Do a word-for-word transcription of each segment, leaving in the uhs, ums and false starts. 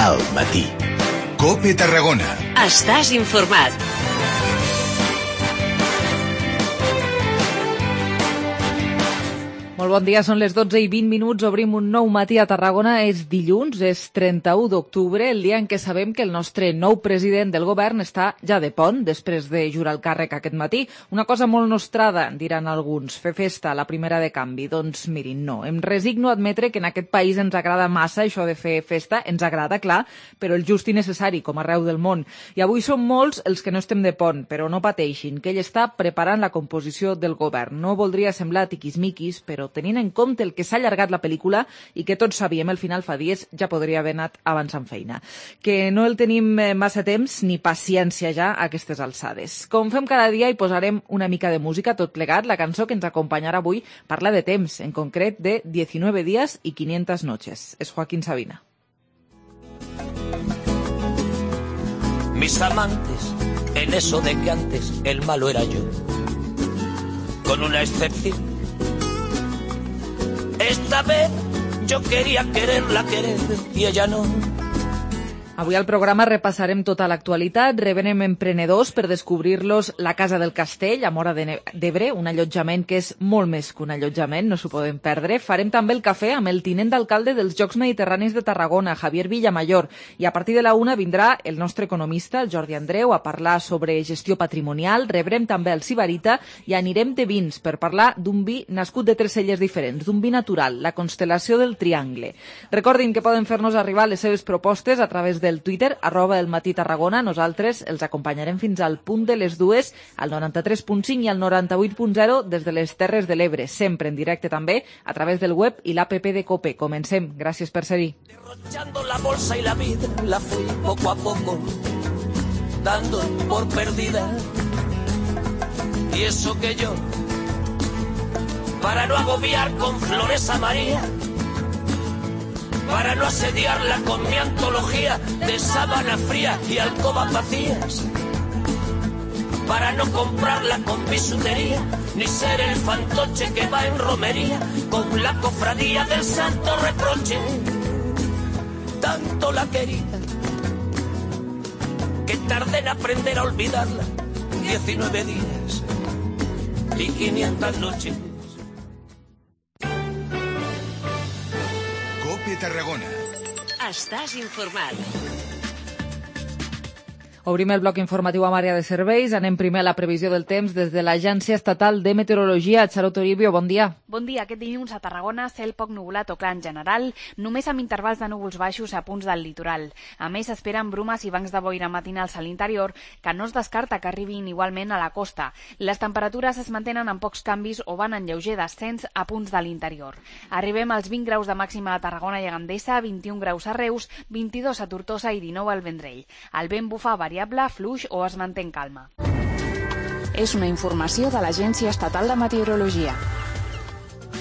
Al matí. COPE Tarragona. Estàs informat. Molt bon dia, són les dotze i vint minuts, obrim un nou matí a Tarragona, és dilluns, és trenta-u d'octubre, el dia en què sabem que el nostre nou president del govern està ja de pont, després de jurar el càrrec aquest matí. Una cosa molt nostrada, diran alguns, fer festa, la primera de canvi. Doncs mirin, no, em resigno a admetre que en aquest país ens agrada massa això de fer festa, ens agrada, clar, però el just i necessari, com arreu del món. I avui som molts els que no estem de pont, però no pateixin, que ell està preparant la composició del govern. No voldria semblar tiquismiquis, però tenint en compte el que s'ha allargat la pel·lícula i que tots sabíem el final fa dies, ja podria haver anat avançant feina. Que no el tenim massa temps ni paciència ja a aquestes alçades. Com fem cada dia, hi posarem una mica de música, tot plegat. La cançó que ens acompanyarà avui parla de temps, en concret de diecinueve días y quinientas noches. És Joaquín Sabina. Mis amantes, en eso de que antes el malo era yo, con una excepción. Esta vez yo quería quererla querer y ella no. Avui al programa repassarem tota l'actualitat, revenem emprenedors per descobrir-los la Casa del Castell, a Móra d'Ebre, un allotjament que és molt més que un allotjament, no s'ho podem perdre. Farem també el cafè amb el tinent d'alcalde dels Jocs Mediterranis de Tarragona, Javier Villamayor, i a partir de la una vindrà el nostre economista, el Jordi Andreu, a parlar sobre gestió patrimonial. Rebrem també el Sibarita i anirem de vins per parlar d'un vi nascut de tres celles diferents, d'un vi natural, la constel·lació del Triangle. Recordin que poden fer-nos arribar les seves propostes a través de del Twitter, arroba el matí Tarragona. Nosaltres els acompanyarem fins al punt de les dues, al noranta-tres punt cinc i al noranta-vuit punt zero des de les Terres de l'Ebre, sempre en directe també a través del web i l'app de COPE. Comencem. Gràcies per ser-hi. Derrochando la bolsa y la vida, la fui poco a poco dando por perdida. Y eso que yo, para no agobiar con flores a María, para no asediarla con mi antología de sábana fría y alcobas vacías, para no comprarla con bisutería, ni ser el fantoche que va en romería con la cofradía del santo reproche. Tanto la quería que tardé en aprender a olvidarla. Diecinueve días y quinientas noches. COPE Tarragona. Estàs informat. Obrim el bloc informatiu amb àrea de serveis. Anem primer a la previsió del temps des de l'Agència Estatal de Meteorologia. Charot Toribio, bon dia. Bon dia. Aquest dilluns a Tarragona, cel poc nuvolat o clar en general, només amb intervals de núvols baixos a punts del litoral. A més, s'esperen brumes i bancs de boira matinals a l'interior, que no es descarta que arribin igualment a la costa. Les temperatures es mantenen amb pocs canvis o van en lleuger descens a punts de l'interior. Arribem als vint graus de màxima a Tarragona i a Gandesa, vint-i-un graus a Reus, vint-i-dos a Tortosa i dinou al Vendrell. El vent bufa variable, fluix o es manté en calma. És una informació de l'Agència Estatal de Meteorologia.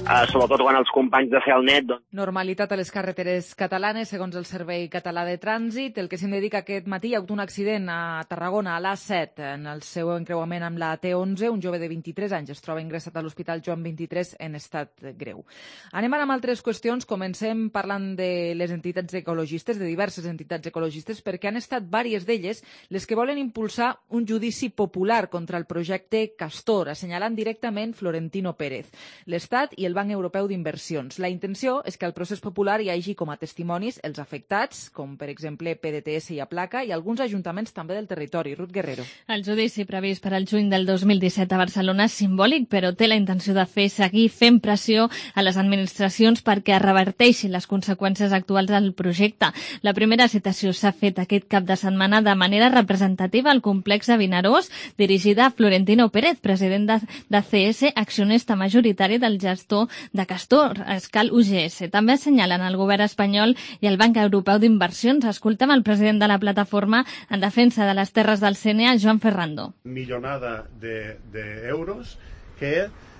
Uh, sobretot quan els companys de Celnet... Doncs... Normalitat a les carreteres catalanes, segons el Servei Català de Trànsit. El que se'n dedica aquest matí, hi ha hagut un accident a Tarragona, a l'A set, en el seu encreuament amb la T onze. Un jove de vint-i-tres anys es troba ingressat a l'Hospital Joan vint-i-tres en estat greu. Anem ara amb altres qüestions. Comencem parlant de les entitats ecologistes, de diverses entitats ecologistes, perquè han estat vàries d'elles les que volen impulsar un judici popular contra el projecte Castor, assenyalant directament Florentino Pérez, l'Estat i el Banc Europeu d'Inversions. La intenció és que al procés popular hi hagi com a testimonis els afectats, com per exemple P D T S i Aplaca, i alguns ajuntaments també del territori. Ruth Guerrero. El judici previst per al juny del dos mil disset a Barcelona és simbòlic, però té la intenció de fer seguir fent pressió a les administracions perquè es reverteixin les conseqüències actuals del projecte. La primera citació s'ha fet aquest cap de setmana de manera representativa al complex de Vinaròs, dirigida a Florentino Pérez, president de, de C S, accionista majoritari del gestor de Castor, Escal U G S. També assenyalen el govern espanyol i el Banc Europeu d'Inversions. Escoltem el president de la plataforma en defensa de les terres del C N A, Joan Ferrando. Millonada d'euros de, que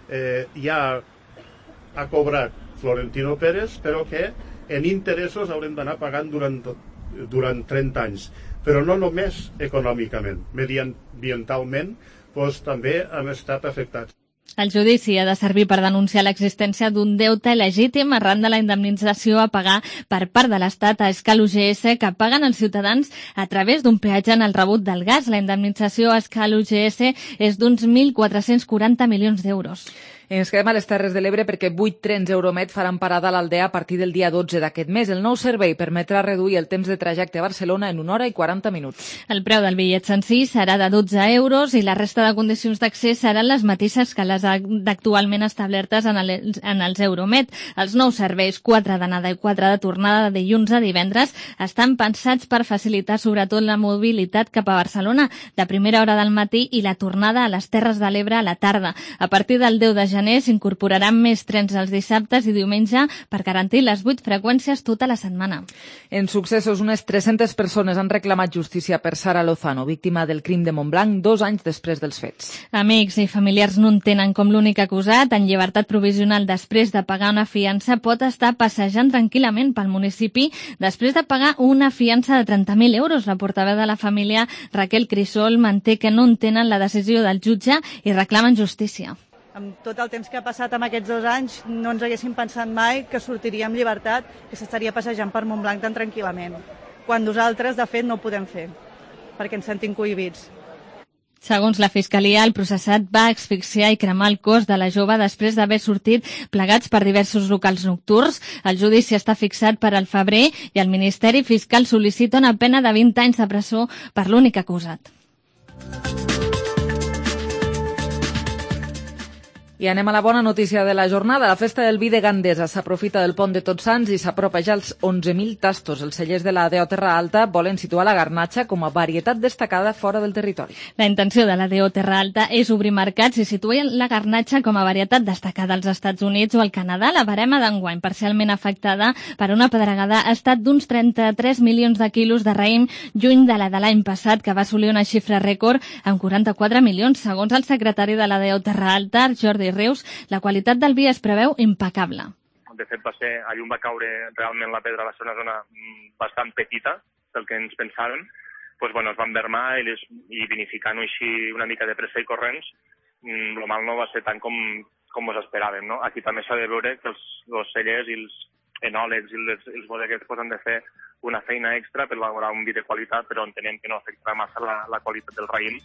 eh, ja ha cobrat Florentino Pérez, però que en interessos haurem d'anar pagant durant, durant trenta anys. Però no només econòmicament, mediambientalment, doncs també han estat afectats. El judici ha de servir per denunciar l'existència d'un deute il·legítim arran de la indemnització a pagar per part de l'Estat a Escal U G S que paguen els ciutadans a través d'un peatge en el rebut del gas. La indemnització a Escal U G S és d'uns mil quatre-cents quaranta milions d'euros. Ens quedem a les Terres de l'Ebre perquè vuit trens Euromed faran parada a l'Aldea a partir del dia dotze d'aquest mes. El nou servei permetrà reduir el temps de trajecte a Barcelona en una hora i quaranta minuts. El preu del bitllet sencer serà de dotze euros i la resta de condicions d'accés seran les mateixes que les actualment establertes en, el, en els Euromed. Els nous serveis, quatre d'anada i quatre de tornada de dilluns a divendres, estan pensats per facilitar sobretot la mobilitat cap a Barcelona de primera hora del matí i la tornada a les Terres de l'Ebre a la tarda. A partir del deu de gener s'incorporaran més trens els dissabtes i diumenge per garantir les vuit freqüències tota la setmana. En successos, unes tres-centes persones han reclamat justícia per Sara Lozano, víctima del crim de Montblanc, dos anys després dels fets. Amics i familiars no entenen com l'únic acusat, en llibertat provisional després de pagar una fiança, pot estar passejant tranquil·lament pel municipi després de pagar una fiança de trenta mil euros. La portaveu de la família, Raquel Crisol, manté que no entenen la decisió del jutge i reclamen justícia. Amb tot el temps que ha passat amb aquests dos anys, no ens haguéssim pensat mai que sortiria amb llibertat, que s'estaria passejant per Montblanc tan tranquil·lament, quan nosaltres, de fet, no ho podem fer, perquè ens sentim cohibits. Segons la Fiscalia, el processat va asfixiar i cremar el cos de la jove després d'haver sortit plegats per diversos locals nocturns. El judici està fixat per al febrer i el Ministeri Fiscal sol·licita una pena de vint anys de presó per l'únic acusat. I anem a la bona notícia de la jornada. La festa del vi de Gandesa s'aprofita del pont de Tots Sants i s'apropa ja als onze mil tastos. Els cellers de la D O Terra Alta volen situar la garnatxa com a varietat destacada fora del territori. La intenció de la D O Terra Alta és obrir mercats i situar la garnatxa com a varietat destacada als Estats Units o al Canadà. La barema d'enguany, parcialment afectada per una pedregada, ha estat d'uns trenta-tres milions de quilos de raïm, lluny de la de l'any passat, que va assolir una xifra rècord amb quaranta-quatre milions. Segons el secretari de la D O Terra Alta, Jordi Reus, la qualitat del vi es preveu impecable. De fet, va ser, a llum va caure realment la pedra, va ser una zona bastant petita del que ens pensàvem. Pues, bueno, es van vermar i, les, i vinificant-ho així una mica de pressa i corrents, el mal no va ser tant com, com ens esperàvem. No? Aquí també s'ha de veure que els, els cellers i els enòlegs i els, els bodeguers pues, han de fer una feina extra per elaborar un vi de qualitat, però entenem que no afectarà massa la, la qualitat del raïm.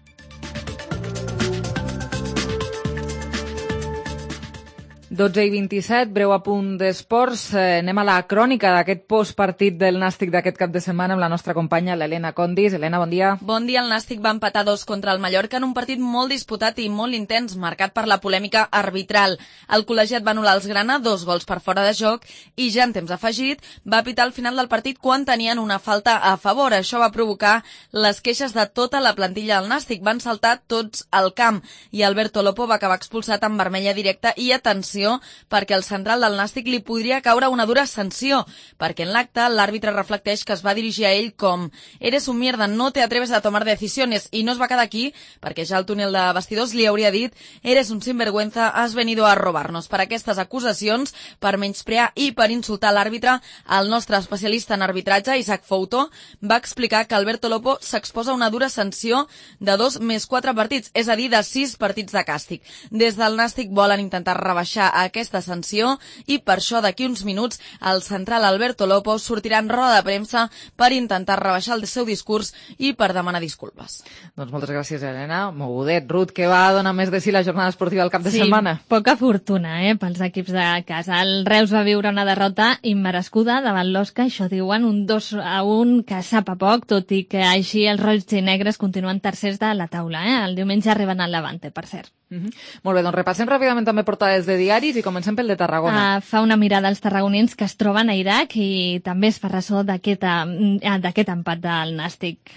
dotze i vint-i-set, breu apunt d'esports. Eh, anem a la crònica d'aquest postpartit del Nàstic d'aquest cap de setmana amb la nostra companya, l'Helena Condis. Helena, bon dia. Bon dia. El Nàstic va empatar dos contra el Mallorca en un partit molt disputat i molt intens, marcat per la polèmica arbitral. El col·legiat va anul·lar els grana, dos gols per fora de joc, i ja en temps afegit va pitar al final del partit quan tenien una falta a favor. Això va provocar les queixes de tota la plantilla del Nàstic. Van saltar tots al camp i Alberto Lopo va acabar expulsat amb vermella directa i atenció perquè el central del Nàstic li podria caure una dura sanció, perquè en l'acte l'àrbitre reflecteix que es va dirigir a ell com «Eres un mierda, no te atreves a tomar decisiones», i no es va quedar aquí, perquè ja al túnel de vestidors li hauria dit «Eres un sinvergüenza, has venido a robarnos». Per aquestes acusacions, per menysprear i per insultar l'àrbitre, el nostre especialista en arbitratge, Isaac Fouto, va explicar que Alberto Lopo s'exposa a una dura sanció de dos més quatre partits, és a dir, de sis partits de càstig. Des del Nàstic volen intentar rebaixar aquesta sanció i per això d'aquí uns minuts el central Alberto Lopo sortirà en roda de premsa per intentar rebaixar el seu discurs i per demanar disculpes. Doncs moltes gràcies, Helena. Mogudet. Ruth, què va donar més de si la jornada esportiva al cap de sí, setmana? Poca fortuna eh, pels equips de casa. El Reus va viure una derrota immerescuda davant l'Osca, això diuen, un dos a un que sap a poc, tot i que així els roig i negres continuen tercers de la taula. Eh? El diumenge arriben al Levante, per cert. Mm-hmm. Molt bé, doncs repassem ràpidament també portades de diaris i comencem pel de Tarragona. Uh, fa una mirada als tarragonins que es troben a Iraq i també es fa ressò d'aquest uh, empat del Nàstic.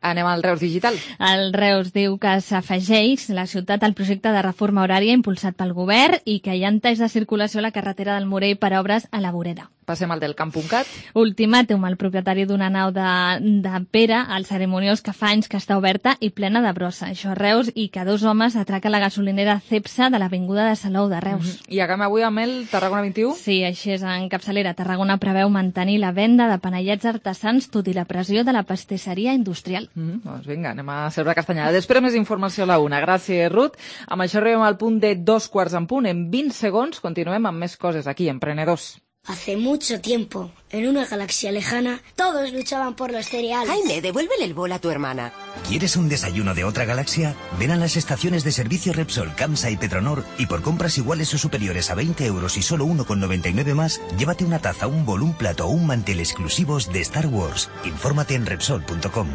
Anem al Reus Digital. El Reus diu que s'afegeix la ciutat al projecte de reforma horària impulsat pel govern i que hi ha talls de circulació a la carretera del Morell per obres a la vorera. Passem al del camp punt cat. Ultimàtum, el propietari d'una nau de, de Pere, al Cerimoniós, que fa anys que està oberta i plena de brossa. Això a Reus, i que dos homes atraca la gasolinera Cepsa de l'avinguda de Salou de Reus. Mm-hmm. I acabem avui amb el Tarragona vint-i-u? Sí, així és. En capçalera, Tarragona preveu mantenir la venda de panellets artesans tot i la pressió de la pastisseria industrial. Mm, doncs vinga, anem a celebrar castanyada. Després més informació a la una. Gràcies, Ruth. Amb això arribem al punt de dos quarts en punt. En vint segons continuem amb més coses aquí, Emprenedors. Hace mucho tiempo, en una galaxia lejana, todos luchaban por los cereales. Jaime, devuélvele el bol a tu hermana. ¿Quieres un desayuno de otra galaxia? Ven a las estaciones de servicio Repsol, Camsa y Petronor y por compras iguales o superiores a veinte euros y solo uno con noventa y nueve más, llévate una taza, un bol, un plato o un mantel exclusivos de Star Wars. Infórmate en Repsol punto com.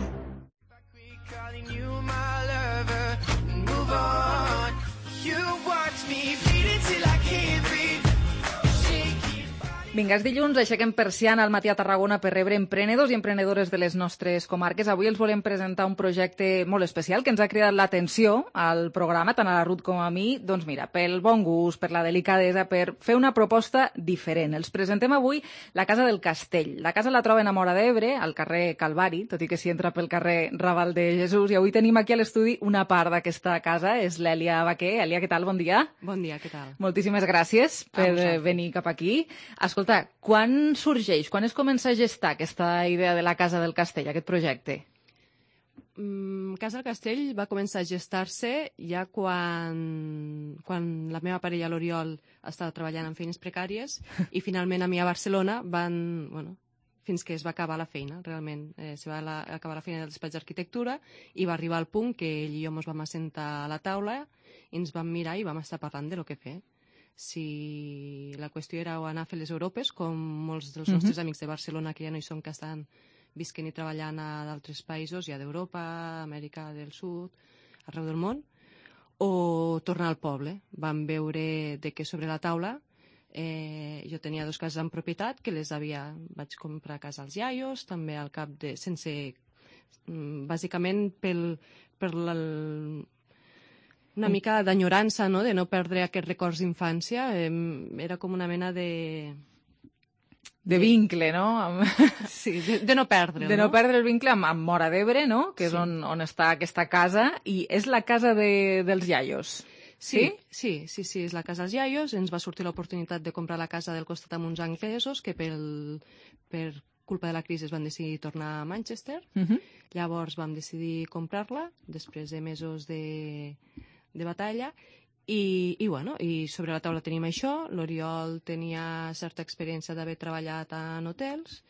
Vinga, és dilluns, aixequem persiana al matí a Tarragona per rebre emprenedors i emprenedores de les nostres comarques. Avui els volem presentar un projecte molt especial que ens ha cridat l'atenció al programa, tant a la Ruth com a mi. Doncs mira, pel bon gust, per la delicadesa, per fer una proposta diferent. Els presentem avui la Casa del Castell. La casa la troben a Móra d'Ebre, al carrer Calvari, tot i que s'hi entra pel carrer Raval de Jesús. I avui tenim aquí a l'estudi una part d'aquesta casa, és l'Èlia Baquer. Èlia, què tal? Bon dia. Bon dia, què tal? Moltíssimes gràcies per venir cap aquí. Escolta, quan sorgeix, quan es comença a gestar aquesta idea de la Casa del Castell, aquest projecte? Mm, Casa del Castell va començar a gestar-se ja quan, quan la meva parella, l'Oriol, estava treballant en feines precàries i finalment a mi a Barcelona van... Bueno, fins que es va acabar la feina, realment. Eh, se va la, acabar la feina del despatx d'arquitectura i va arribar al punt que ell i jo ens vam assentar a la taula i ens vam mirar i vam estar parlant de lo que fer. Si la qüestió era anar a fer les Europes, com molts dels Mhm. nostres amics de Barcelona, que ja no hi són, que estan visquent i treballant a d'altres països, ja d'Europa, Amèrica del Sud, arreu del món, o tornar al poble. Vam veure de què sobre la taula. Eh, jo tenia dos cases en propietat, que les havia... Vaig comprar casa als iaios, també al cap de... sense... bàsicament pel... per la, una mica d'enyorança, no?, de no perdre aquests records d'infància. Eh, era com una mena de... De vincle, no? Sí, de, de no perdre'l, De no no? perdre el vincle amb, amb Móra d'Ebre, no?, que és Sí. on, on està aquesta casa, i és la casa de, dels iaios. Sí, sí, sí, sí, és la casa dels iaios. Ens va sortir l'oportunitat de comprar la casa del costat amb uns anglesos que pel, per culpa de la crisi es van decidir tornar a Manchester. Mhm. Llavors vam decidir comprar-la, després de mesos de, de batalla, i, i, bueno, i sobre la taula tenim això. L'Oriol tenia certa experiència d'haver treballat en hotels,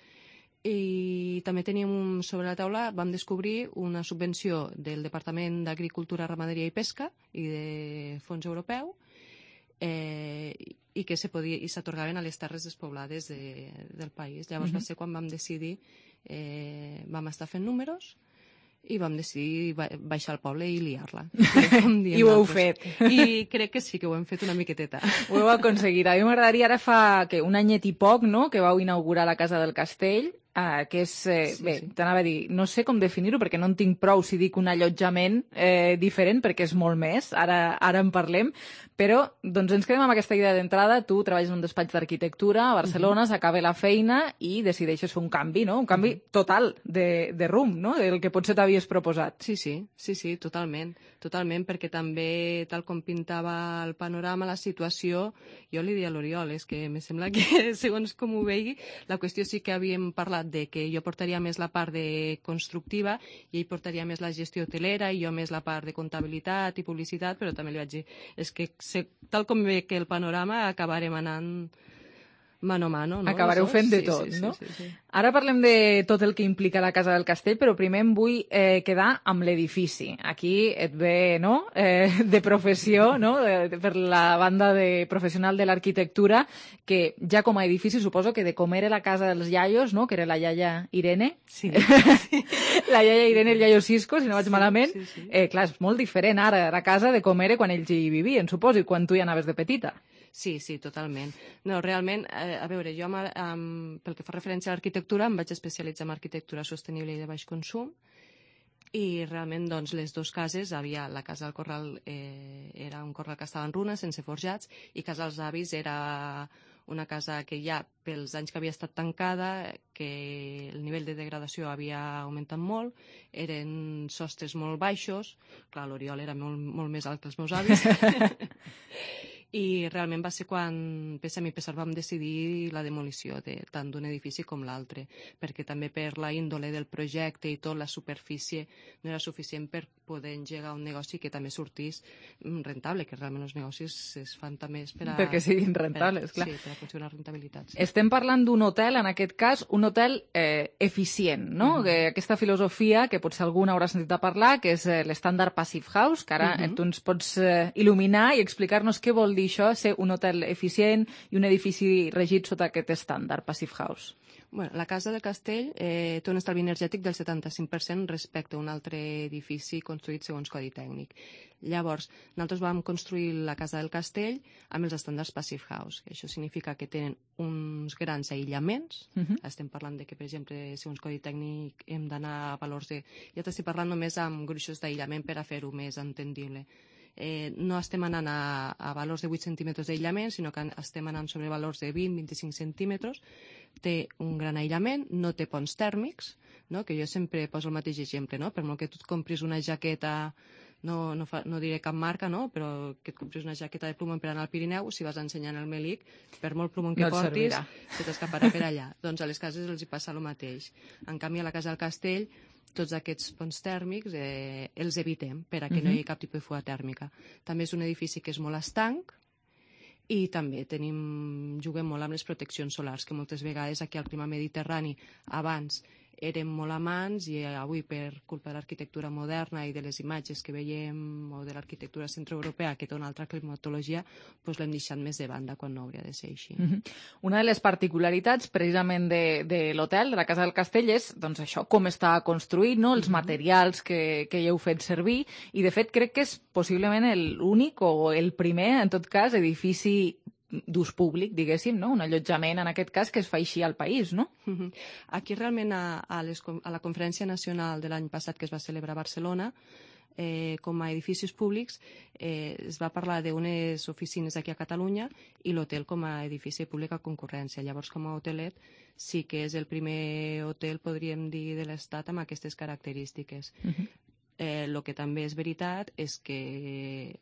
i també teníem un, sobre la taula, vam descobrir una subvenció del Departament d'Agricultura, Ramaderia i Pesca i de fons europeu, eh, i que se podia, i s'atorgaven a les terres despoblades de, del país. Llavors Mhm. va ser quan vam decidir, eh, vam estar fent números i vam decidir ba baixar al poble i liar-la. I ho heu fet. I crec que sí, que ho hem fet una miqueteta. Ho heu aconseguit. A mi m'agradaria, ara fa que un anyet i poc, no?, que vau inaugurar la Casa del Castell, eh, que és, eh, Sí, bé, sí. t'anava a dir, no sé com definir-ho, perquè no en tinc prou si dic un allotjament eh, diferent, perquè és molt més, ara, ara en parlem, però doncs ens quedem amb aquesta idea d'entrada. Tu treballes en un despatx d'arquitectura a Barcelona, s'acaba la feina i decideixes fer un canvi, no?, un canvi total de, de rumb, no?, del que potser t'havies proposat. Sí, sí, sí, sí, totalment, totalment, perquè també, tal com pintava el panorama, la situació, jo li deia a l'Oriol, és que me sembla que, segons com ho vegi, la qüestió sí que havíem parlat de que jo portaria més la part de constructiva i ell portaria més la gestió hotelera i jo més la part de comptabilitat i publicitat, però també li vaig dir, és que se, tal com ve que el panorama acabarem anant mano a mano, no? Acabareu fent de Sí, tot, sí, sí, no? sí, sí. Ara parlem de tot el que implica la Casa del Castell, però primer em vull eh, quedar amb l'edifici. Aquí et ve, no?, eh, de professió, no?, de, de, per la banda de professional de l'arquitectura, que ja com a edifici suposo que de com era la casa dels iaios, no?, que era la iaia Irene, Sí. la iaia Irene i el iaio Cisco, si no vaig Sí, malament, sí, sí. Eh, clar, és molt diferent ara la casa de com era quan ells hi vivien, suposo, i quan tu hi anaves de petita. Sí, sí, totalment. No, realment, eh, a veure, jo amb, amb, pel que fa referència a l'arquitectura em vaig especialitzar en arquitectura sostenible i de baix consum i realment doncs, les dues cases, havia la casa del Corral, eh, era un corral que estava en runes, sense forjats, i casa dels avis era una casa que ja, pels anys que havia estat tancada, que el nivell de degradació havia augmentat molt, eren sostres molt baixos, clar, l'Oriol era molt, molt més alt que els meus avis, i realment va ser quan Pessam i Pessar vam decidir la demolició de, tant d'un edifici com l'altre, perquè també per la índole del projecte i tot, la superfície no era suficient per poder engegar un negoci que també sortís rentable, que realment els negocis es fan també per a... Perquè siguin rentables, per, clar. Sí, per aconseguir unes rentabilitats. Sí. Estem parlant d'un hotel, en aquest cas, un hotel eh, eficient, no? Uh-huh. Que aquesta filosofia, que potser algun haurà sentit a parlar, que és eh, l'estàndard Passive House, que ara uh-huh. tu ens pots eh, il·luminar i explicar-nos què vol dir això, ser un hotel eficient i un edifici regit sota aquest estàndard Passive House. Bueno, la Casa del Castell eh, té un estalvi energètic del setanta-cinc per cent respecte a un altre edifici construït segons codi tècnic. Llavors, nosaltres vam construir la Casa del Castell amb els estàndards Passive House. Això significa que tenen uns grans aïllaments. Uh-huh. Estem parlant de que, per exemple, segons codi tècnic hem d'anar a valors de... Ja t'estic parlant només amb gruixos d'aïllament per a fer-ho més entendible. Eh, no estem anant a, a valors de vuit centímetres d'aïllament, sinó que estem anant sobre valors de vint a vint-i-cinc centímetres. Té un gran aïllament, no té ponts tèrmics, no? Que jo sempre poso el mateix exemple, no? Per molt que tu et compris una jaqueta, no, no, fa, no diré cap marca, no? Però que et compris una jaqueta de plomon per anar al Pirineu, si vas ensenyant el melic, per molt plomon que no portis, se t'escaparà per allà. Doncs a les cases els hi passa el mateix. En canvi, a la Casa del Castell, tots aquests ponts tèrmics eh, els evitem per a que uh-huh. no hi hagi cap tipus de fuga tèrmica. També és un edifici que és molt estanc i també tenim, juguem molt amb les proteccions solars, que moltes vegades aquí al clima mediterrani abans érem molt amants i avui per culpa de l'arquitectura moderna i de les imatges que veiem o de l'arquitectura centroeuropea que té una altra climatologia, doncs l'hem deixat més de banda quan no hauria de ser així. Uh-huh. Una de les particularitats precisament de, de l'hotel, de la Casa del Castell, és doncs, això, com està construït, no? Els uh-huh. materials que, que hi heu fet servir, i de fet crec que és possiblement l'únic o el primer, en tot cas, edifici d'ús públic, diguéssim, no? Un allotjament, en aquest cas, que es fa així al país, no? Uh-huh. Aquí realment a, a, les, a la Conferència Nacional de l'any passat que es va celebrar a Barcelona, eh, com a edificis públics, eh, es va parlar d'unes oficines aquí a Catalunya i l'hotel com a edifici públic a concurrència. Llavors, com a hotelet, sí que és el primer hotel, podríem dir, de l'Estat amb aquestes característiques. Uh-huh. eh, lo que també és veritat és que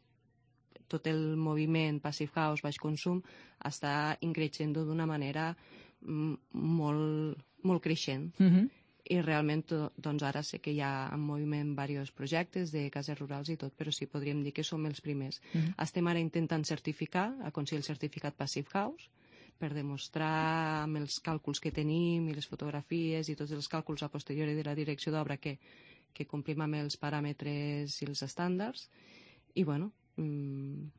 tot el moviment Passive House, baix consum, està increixent d'una manera molt, molt creixent. Uh-huh. I realment, doncs ara sé que hi ha en moviment diversos projectes de cases rurals i tot, però sí, podríem dir que som els primers. Uh-huh. Estem ara intentant certificar, aconseguir el certificat Passive House, per demostrar amb els càlculs que tenim i les fotografies i tots els càlculs a posteriori de la direcció d'obra que, que complim amb els paràmetres i els estàndards. I, bueno, Mm.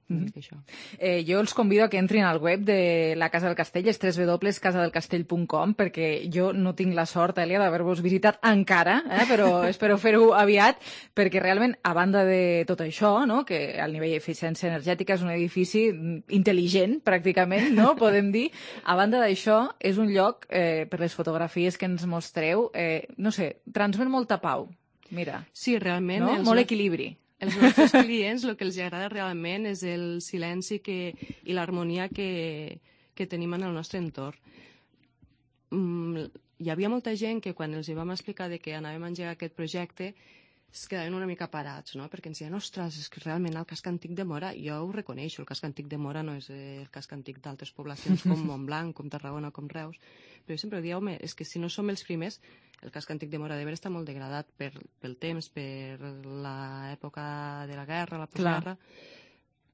Mm-hmm. Això. Eh, jo els convido a que entrin al web de la Casa del Castell, és w w w punt casa del castell punt com, perquè jo no tinc la sort, Èlia, d'haver-vos visitat encara, eh, però espero fer-ho aviat, perquè realment, a banda de tot això, no, que al nivell d'eficiència energètica és un edifici intel·ligent, pràcticament, no, podem dir, a banda d'això, és un lloc, eh, per les fotografies que ens mostreu, eh, no sé, transmet molta pau. Mira. Sí, realment. No? Molt equilibri. Els nostres clients el que els agrada realment és el silenci que, i l'harmonia que, que tenim en el nostre entorn. Mm, hi havia molta gent que quan els vam explicar de que anàvem a engegar aquest projecte es quedaven una mica parats, no? Perquè ens deien, ostres, és que realment el casc antic de Móra, jo ho reconeixo, el casc antic de Móra no és el casc antic d'altres poblacions com Montblanc, com Tarragona, com Reus, però jo sempre dic, home, és que si no som els primers, el casc antic de Móra d'Ebre està molt degradat per, pel temps, per l'època de la guerra, la postguerra,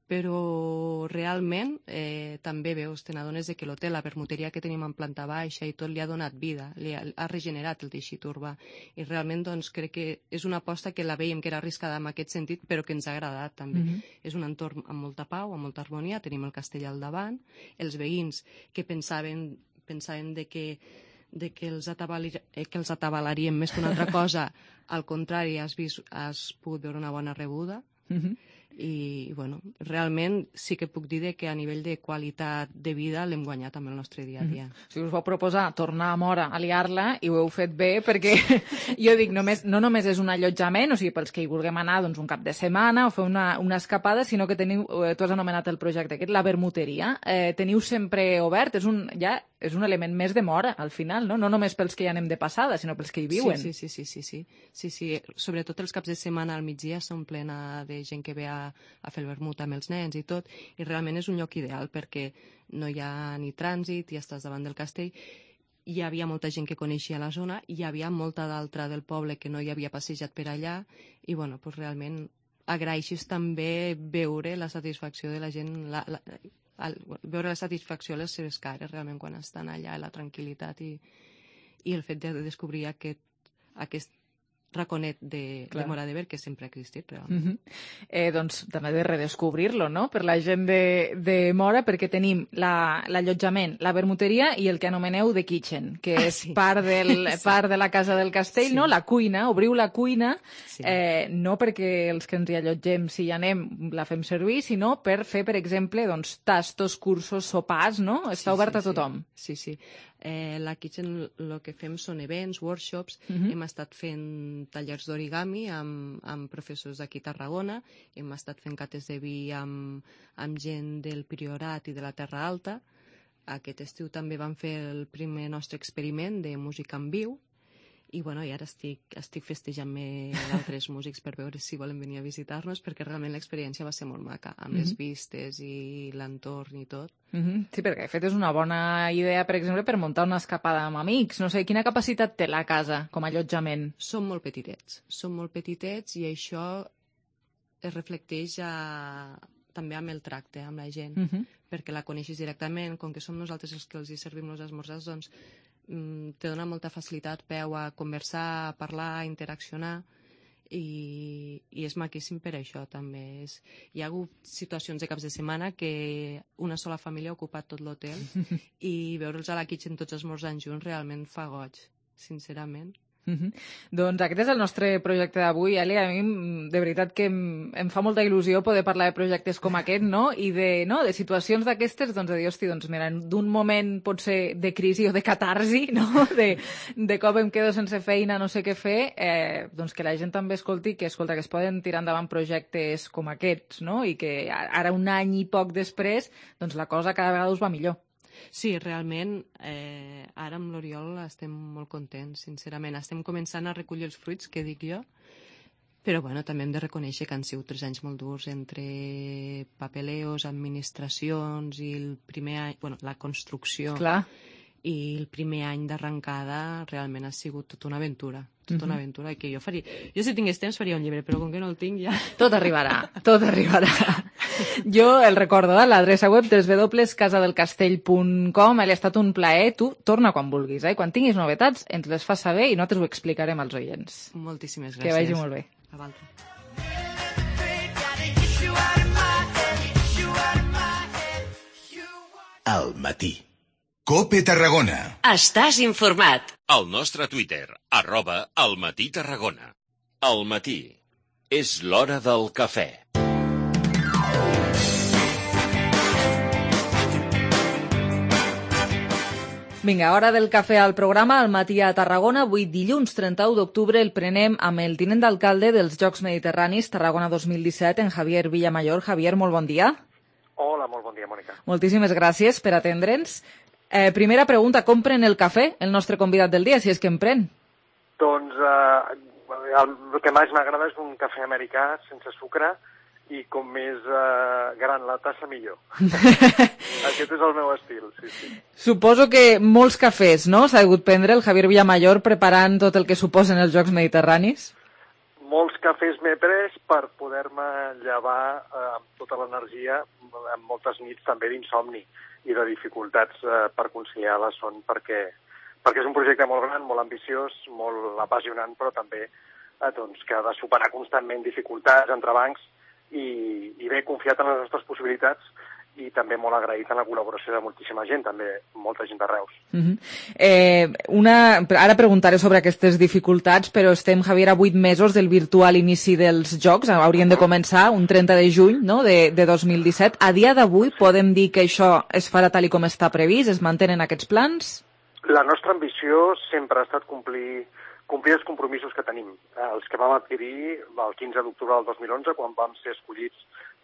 però realment eh, també veus, te n'adones que l'hotel, la permuteria que tenim en planta baixa i tot li ha donat vida, li ha, ha regenerat el teixit urbà i realment doncs, crec que és una aposta que la veiem que era arriscada en aquest sentit però que ens ha agradat també. Mm-hmm. És un entorn amb molta pau, amb molta harmonia, tenim el castell al davant, els veïns que pensaven, pensaven de que de que els, eh, que els atabalaríem més que una altra cosa, al contrari, has, vist, has pogut veure una bona rebuda. Mm-hmm. I, bueno, realment sí que puc dir que a nivell de qualitat de vida l'hem guanyat amb el nostre dia a dia. Mm-hmm. O sigui, us vau proposar tornar a Móra a liar-la i ho heu fet bé, perquè jo dic, només, no només és un allotjament, o sigui, pels que hi vulguem anar doncs, un cap de setmana o fer una, una escapada, sinó que teniu, tu has anomenat el projecte aquest, la vermuteria. Eh, teniu sempre obert, és un, ja és un element més de Móra, al final, no? No només pels que hi anem de passada, sinó pels que hi viuen. Sí, sí, sí, sí, sí, sí, sí. Sobretot els caps de setmana al migdia són plena de gent que ve a, a fer el vermut amb els nens i tot, i realment és un lloc ideal perquè no hi ha ni trànsit, ja estàs davant del castell. Hi havia molta gent que coneixia la zona, hi havia molta d'altra del poble que no hi havia passejat per allà, i bueno, doncs realment agraeixes també veure la satisfacció de la gent, la, la, el, veure la satisfacció a les seves cares realment quan estan allà, la tranquil·litat i, i el fet de descobrir aquest, aquest raconet de, de Móra d'Ebre que sempre ha existit realment. Mm-hmm. eh, doncs també de redescobrir-lo, no?, per la gent de, de Móra, perquè tenim l'allotjament, la, la vermuteria i el que anomeneu The Kitchen, que és ah, sí. part, del, sí. part de la casa del castell, sí. no?, la cuina, obriu la cuina, sí. eh, no perquè els que ens hi allotgem, si hi anem, la fem servir, sinó per fer, per exemple, doncs, tastos, cursos, sopars, no? Està sí, obert sí, a tothom. Sí, sí. Eh, la Kitchen el que fem són events, workshops, uh-huh. hem estat fent tallers d'origami amb, amb professors d'aquí a Tarragona, hem estat fent cates de vi amb, amb gent del Priorat i de la Terra Alta. Aquest estiu també vam fer el primer nostre experiment de música en viu, i, bueno, i ara estic, estic festejant-me d'altres músics per veure si volen venir a visitar-nos, perquè realment l'experiència va ser molt maca, amb mm-hmm. les vistes i l'entorn i tot. Mm-hmm. Sí, perquè de fet és una bona idea, per exemple, per muntar una escapada amb amics. No sé, quina capacitat té la casa com a allotjament? Són molt petitets, són molt petitets i això es reflecteix a... també amb el tracte amb la gent, mm-hmm. perquè la coneixes directament, com que som nosaltres els que els hi servim els esmorzars, doncs te dona molta facilitat peu a conversar, a parlar, a interaccionar, i, i és maquíssim per això també. És, hi ha hagut situacions de caps de setmana que una sola família ha ocupat tot l'hotel i veure'ls a la Kitchen tots esmorzant junts realment fa goig, sincerament. Mm-hmm. Doncs aquest és el nostre projecte d'avui, Eli. A mi de veritat que em, em fa molta il·lusió poder parlar de projectes com aquest, no? I de, no? de situacions d'aquestes, doncs de dir, hosti, doncs mira, d'un moment potser de crisi o de catarsi, no? De, de cop em quedo sense feina, no sé què fer, eh, doncs que la gent també escolti que, escolta, que es poden tirar endavant projectes com aquests, no? I que ara un any i poc després, doncs la cosa cada vegada us va millor. Sí, realment, eh, ara amb l'Oriol estem molt contents, sincerament. Estem començant a recollir els fruits, que dic jo, però bueno, també hem de reconèixer que han sigut tres anys molt durs entre papeleos, administracions i el primer any, bueno, la construcció. Clar. I el primer any d'arrencada realment ha sigut tota una aventura, tota una aventura, que jo faria... Jo si tingués temps faria un llibre, però com que no el tinc ja... Tot arribarà, tot arribarà. Jo el recordo, eh? L'adreça web w w w punt casadelcastell punt com, ha estat un plaer, tu torna quan vulguis, eh? Quan tinguis novetats ens les fas saber i nosaltres ho explicarem als oients. Moltíssimes gràcies. Que vagi molt bé. A vosaltres. Al matí. COPE Tarragona. Estàs informat. Al nostre Twitter, arroba Al Matí Tarragona. Al matí. És l'hora del cafè. Vinga, hora del cafè al programa Al Matí a Tarragona. Avui, dilluns trenta-u d'octubre, el prenem amb el tinent d'alcalde dels Jocs Mediterranis Tarragona dos mil disset, en Javier Villamayor. Javier, molt bon dia. Hola, molt bon dia, Mònica. Moltíssimes gràcies per atendre'ns. Eh, primera pregunta, com pren el cafè el nostre convidat del dia, si és que en pren? Doncs eh, el, el que més m'agrada és un cafè americà sense sucre i com més eh, gran la tassa millor. Aquest és el meu estil, sí, sí. Suposo que molts cafès, no?, s'ha hagut prendre el Javier Villamayor preparant tot el que suposen els Jocs Mediterranis? Molts cafès m'he pres per poder-me llevar eh, amb tota l'energia, amb moltes nits també d'insomni i de dificultats eh, per conciliar la son, perquè, perquè és un projecte molt gran, molt ambiciós, molt apassionant, però també eh, doncs, que ha de superar constantment dificultats, entrebancs, i, i bé, confiat en les nostres possibilitats i també molt agraït en la col·laboració de moltíssima gent, també molta gent de Reus. Uh -huh. eh, una, ara preguntaré sobre aquestes dificultats, però estem, Javier, a vuit mesos del virtual inici dels Jocs, haurien de començar un trenta de juny, no?, de, de dos mil disset. A dia d'avui podem dir que això es farà tal i com està previst? Es mantenen aquests plans? La nostra ambició sempre ha estat complir complir els compromisos que tenim, els que vam adquirir el quinze d'octubre del dos mil onze, quan vam ser escollits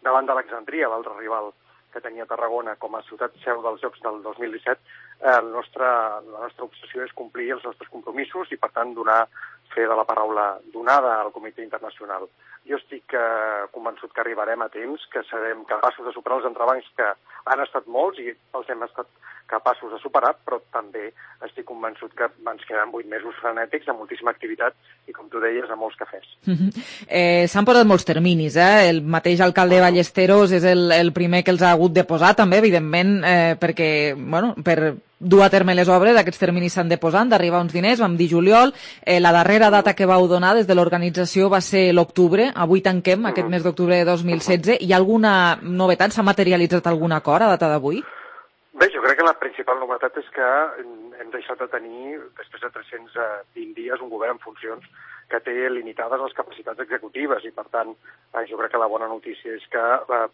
davant d'Alexandria, l'altre rival que tenia Tarragona com a ciutat seu dels Jocs del dos mil disset. El nostre, la nostra obsessió és complir els nostres compromisos i, per tant, donar fe de la paraula donada al Comitè Internacional. Jo estic eh, convençut que arribarem a temps, que serem capaços de superar els entrebancs que han estat molts i els hem estat capaços de superar, però també estic convençut que ens queden vuit mesos frenètics amb moltíssima activitat i, com tu deies, amb molts cafès. Uh -huh. eh, S'han posat molts terminis, eh? El mateix alcalde Ballesteros és el, el primer que els ha hagut de posar, també, evidentment, eh, perquè, bueno, per dur a terme les obres, aquests terminis s'han de posar, d'arribar uns diners, vam dir juliol, eh, la darrera data que vau donar des de l'organització va ser l'octubre, avui tanquem aquest mes d'octubre de dos mil setze. Hi ha alguna novetat? S'ha materialitzat algun acord a data d'avui? Bé, jo crec que la principal novetat és que hem deixat de tenir, després de tres-cents vint dies, un govern en funcions que té limitades les capacitats executives i, per tant, jo crec que la bona notícia és que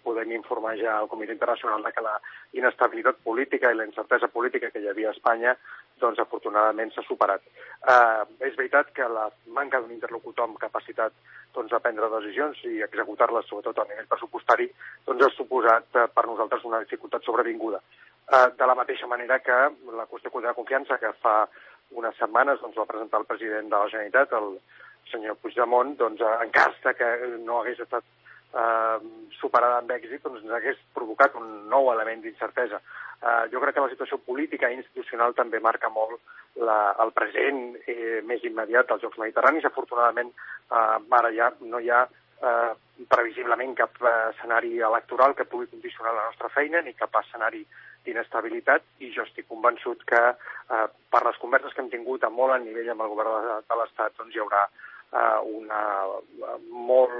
podem informar ja al Comitè Internacional de que la inestabilitat política i la incertesa política que hi havia a Espanya, doncs, afortunadament s'ha superat. Eh, és veritat que la manca d'un interlocutor amb capacitat doncs, de prendre decisions i executar-les, sobretot a nivell pressupostari, doncs, ha suposat eh, per nosaltres una dificultat sobrevinguda. Eh, de la mateixa manera que la qüestió de confiança que fa unes setmanes doncs, va presentar el president de la Generalitat, el senyor Puigdemont, doncs, en cas que no hagués estat eh, superada amb èxit, doncs ens hagués provocat un nou element d'incertesa. Eh, jo crec que la situació política i institucional també marca molt la, el present eh, més immediat dels Jocs Mediterranis. Afortunadament, eh, ara ja no hi ha eh, previsiblement cap eh, escenari electoral que pugui condicionar la nostra feina ni cap escenari d'inestabilitat, i jo estic convençut que eh, per les converses que hem tingut a molt a nivell amb el govern de, de l'Estat doncs hi haurà eh, una molt,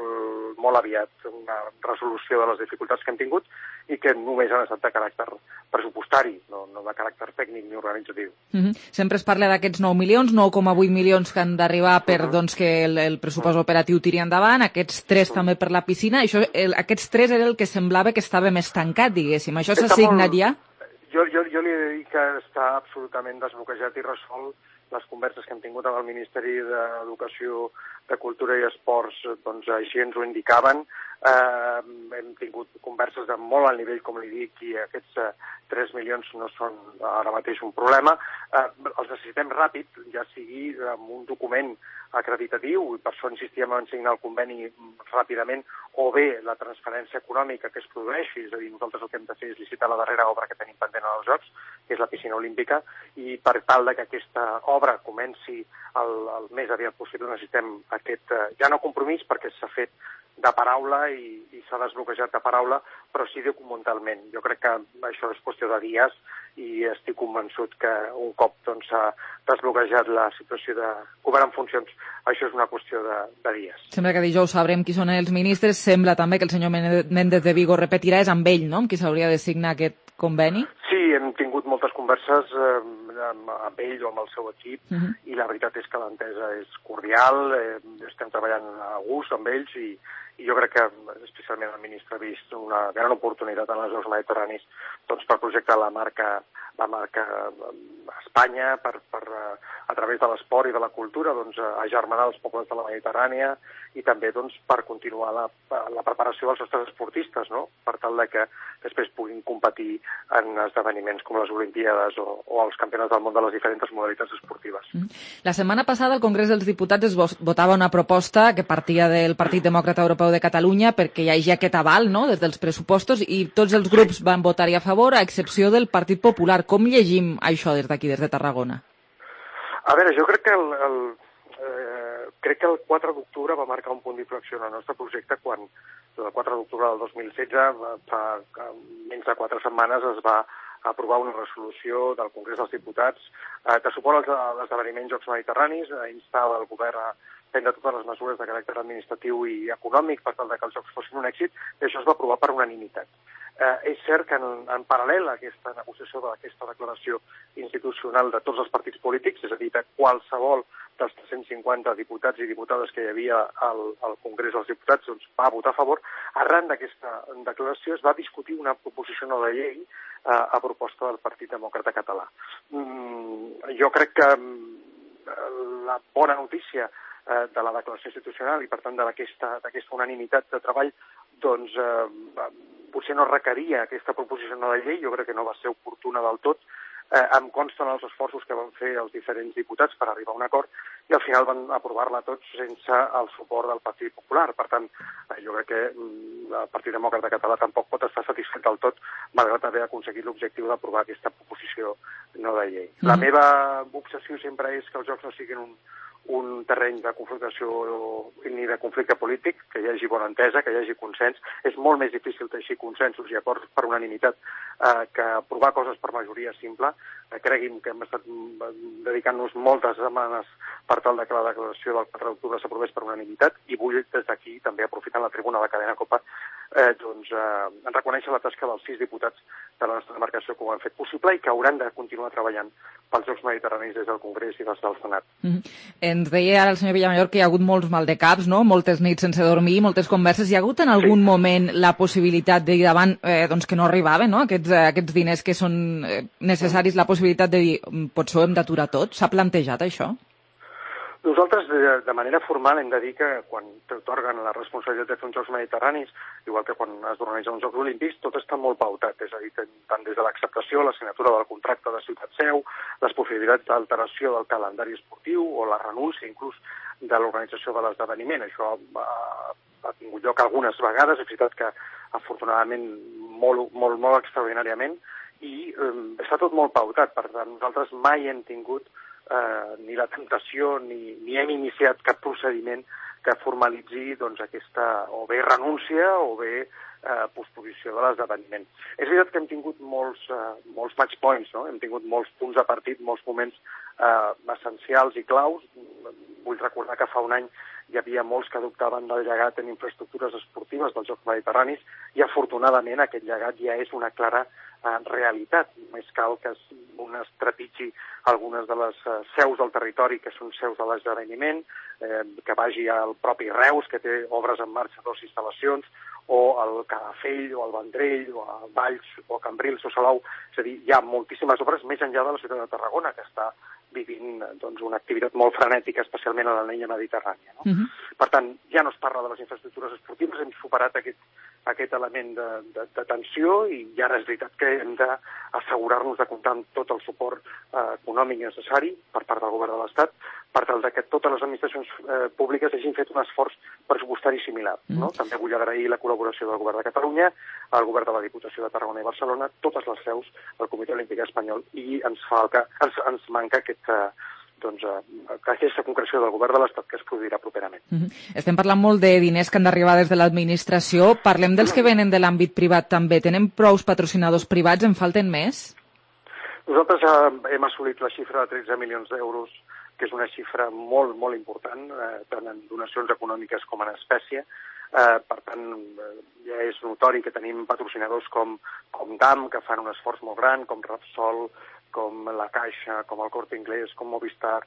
molt aviat una resolució de les dificultats que hem tingut i que només han estat de caràcter pressupostari, no, no de caràcter tècnic ni organitzatiu. Uh -huh. Sempre es parla d'aquests nou milions, nou coma vuit milions que han d'arribar per uh -huh. doncs, que el, el pressupost uh -huh. operatiu tiri endavant, aquests tres uh -huh. també per la piscina. Això, el, aquests tres era el que semblava que estava més tancat, diguéssim. Això s'ha assignat ja? Jo, jo, jo li he de dir que està absolutament desbloquejat i resolt. Les converses que hem tingut amb el Ministeri d'Educació, de Cultura i Esports, doncs així ens ho indicaven. Eh, hem tingut converses de molt alt nivell, com li dic, i aquests eh, tres milions no són ara mateix un problema. Eh, els necessitem ràpid, ja sigui amb un document acreditatiu, i per això insistíem en signar el conveni ràpidament, o bé la transferència econòmica que es produeixi, és a dir, nosaltres el que hem de fer és licitar la darrera obra que tenim pendent als Jocs, que és la piscina olímpica, i per tal de que aquesta obra comenci el, el més aviat possible necessitem aquest, eh, ja no compromís, perquè s'ha fet de paraula i, i s'ha desbloquejat de paraula, però sí documentalment. Jo crec que això és qüestió de dies i estic convençut que un cop doncs, s'ha desbloquejat la situació de govern en funcions, això és una qüestió de, de dies. Sembla que dijous sabrem qui són els ministres. Sembla també que el senyor Méndez de Vigo repetirà, és amb ell, no?, amb qui s'hauria de signar aquest conveni? Sí, hem tingut moltes converses eh, amb, amb ell o amb el seu equip, uh -huh. i la veritat és que l'entesa és cordial, eh, estem treballant a gust amb ells i, i jo crec que especialment el ministre ha vist una gran oportunitat en els Jocs Mediterranis doncs, per projectar la marca la marca Espanya per, per, a través de l'esport i de la cultura doncs, agermanar els pobles de la Mediterrània i també doncs, per continuar la, la preparació dels nostres esportistes, no? Per tal de que després puguin competir en esdeveniments com les Olimpíades o, o els campionats del món de les diferents modalitats esportives. La setmana passada al Congrés dels Diputats es votava una proposta que partia del Partit Demòcrata Europeu de Catalunya perquè hi hagi aquest aval, no?, des dels pressupostos, i tots els grups van votar-hi a favor, a excepció del Partit Popular. Com llegim això des d'aquí, des de Tarragona? A veure, jo crec que el, el, eh, crec que el quatre d'octubre va marcar un punt d'inflexió en el nostre projecte quan el quatre d'octubre del dos mil setze, fa menys de quatre setmanes, es va aprovar una resolució del Congrés dels Diputats eh, que suport als esdeveniments Jocs Mediterranis, eh, instava el govern a prendre totes les mesures de caràcter administratiu i econòmic per tal que els Jocs fossin un èxit, i això es va aprovar per unanimitat. Eh, és cert que en, en paral·lel a aquesta negociació d'aquesta declaració institucional de tots els partits polítics, és a dir, de qualsevol dels tres-cents cinquanta diputats i diputades que hi havia al, al Congrés dels Diputats, doncs va votar a favor. Arran d'aquesta declaració es va discutir una proposició no de llei eh, a proposta del Partit Demòcrata Català. Mm, jo crec que la bona notícia eh, de la declaració institucional i, per tant, d'aquesta d'aquesta unanimitat de treball, doncs eh, potser no requeria aquesta proposició no de llei, jo crec que no va ser oportuna del tot. Eh, em consten els esforços que van fer els diferents diputats per arribar a un acord i al final van aprovar-la tots sense el suport del Partit Popular. Per tant, eh, jo crec que mm, el Partit Demòcrata Català tampoc pot estar satisfet del tot, malgrat haver aconseguit l'objectiu d'aprovar aquesta proposició no de llei. Mm. La meva obsessió sempre és que els jocs no siguin un, un terreny de confrontació ni de conflicte polític, que hi hagi bona entesa, que hi hagi consens. És molt més difícil teixir consensos i acords per unanimitat eh, que aprovar coses per majoria simple. Eh, cregui'm que hem estat dedicant-nos moltes setmanes per tal que la declaració del quatre d'octubre s'aprovés per unanimitat i vull des d'aquí, també aprofitant la tribuna de la cadena COPE, eh, doncs, eh, reconèixer la tasca dels sis diputats de la nostra demarcació que ho han fet possible i que hauran de continuar treballant pels Jocs Mediterranis des del Congrés i des del Senat. Mm-hmm. Ens deia ara el senyor Villamajor que hi ha hagut molts maldecaps, no? Moltes nits sense dormir, moltes converses. Hi ha hagut en algun sí. moment la possibilitat de dir davant eh, doncs que no arribaven, no? Aquests, eh, aquests diners que són eh, necessaris, la possibilitat de dir potser ho hem d'aturar tot? S'ha plantejat això? Nosaltres, de, de manera formal, hem de dir que quan t'atorguen la responsabilitat de fer uns Jocs Mediterranis, igual que quan es organitzen uns Jocs Olímpics, tot està molt pautat, és a dir, tant des de l'acceptació, la signatura del contracte de Ciutat Seu, les possibilitats d'alteració del calendari esportiu o la renúncia, inclús, de l'organització de l'esdeveniment. Això ha, ha tingut lloc algunes vegades, és veritat que, afortunadament, molt, molt, molt extraordinàriament, i eh, està tot molt pautat. Per tant, nosaltres mai hem tingut Eh, ni la temptació ni, ni hem iniciat cap procediment que formalitzi doncs, aquesta o bé renúncia o bé eh, posposició de l'esdeveniment. És veritat que hem tingut molts, eh, molts match points, no? Hem tingut molts punts de partit, molts moments eh, essencials i claus. Vull recordar que fa un any hi havia molts que dubtaven del llegat en infraestructures esportives dels Jocs Mediterranis i afortunadament aquest llegat ja és una clara eh, realitat. Només cal que es, un es trepitgi algunes de les eh, seus del territori que són seus de l'esdeveniment, eh, que vagi al propi Reus, que té obres en marxa, dues instal·lacions, o al Calafell, o al Vendrell, o a Valls, o a Cambrils, o Salou. És a dir, hi ha moltíssimes obres més enllà de la ciutat de Tarragona, que està vivint doncs, una activitat molt frenètica, especialment a la línia mediterrània. No? Uh-huh. Per tant, ja no es parla de les infraestructures esportives, hem superat aquest, aquest element de, de, de tensió i ja és veritat que hem d'assegurar-nos de comptar amb tot el suport eh, econòmic necessari per part del govern de l'Estat per tal que totes les administracions eh, públiques hagin fet un esforç pressupostari similar. Uh-huh. No? També vull agrair la col·laboració del govern de Catalunya, el govern de la Diputació de Tarragona i Barcelona, totes les seus del Comitè Olímpic Espanyol i ens, falca, ens, ens manca aquest doncs, aquesta concreció del govern de l'Estat que es produirà properament. Uh-huh. Estem parlant molt de diners que han d'arribar des de l'administració. Parlem dels que venen de l'àmbit privat també. Tenen prous patrocinadors privats? En falten més? Nosaltres eh, hem assolit la xifra de tretze milions d'euros, que és una xifra molt, molt important, eh, tant en donacions econòmiques com en espècie. Eh, per tant, eh, ja és notori que tenim patrocinadors com, com D A M, que fan un esforç molt gran, com Repsol, com la Caixa, com el Corte Inglés, com Movistar,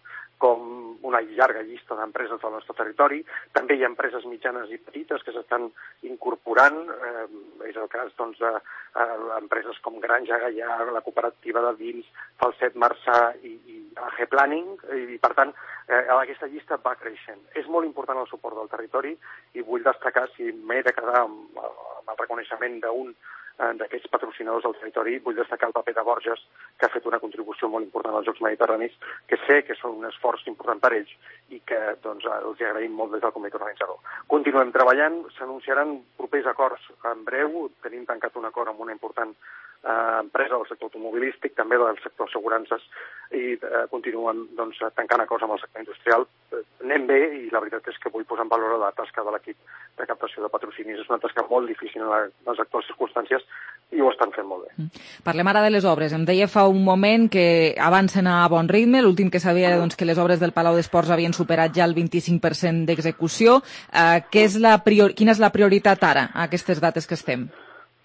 com una llarga llista d'empreses del nostre territori. També hi ha empreses mitjanes i petites que s'estan incorporant. Eh, és el cas doncs, de eh, empreses com Granja Gaià, la cooperativa de vins, Falset Marçà i, i A G Planning. I, per tant, eh, aquesta llista va creixent. És molt important el suport del territori i vull destacar, si m'he de quedar amb, amb el reconeixement d'un d'aquests patrocinadors del territori, vull destacar el paper de Borges, que ha fet una contribució molt important als Jocs Mediterranis, que sé que són un esforç important per ells i que doncs, els agraïm molt des del comitè organitzador. Continuem treballant, s'anunciaran propers acords en breu, tenim tancat un acord amb una important eh, empresa del sector automobilístic, també del sector assegurances, i eh, continuem doncs, tancant acords amb el sector industrial. Eh, anem bé i la veritat és que vull posar en valor la tasca de l'equip de captació de patrocinis. És una tasca molt difícil en les actuals circumstàncies i ho estan fent molt bé. Parlem ara de les obres. Em deia fa un moment que avancen a bon ritme. L'últim que sabia doncs, que les obres del Palau d'Esports havien superat ja el vint-i-cinc per cent d'execució. Eh, què és la prior... Quina és la prioritat ara, a aquestes dates que estem?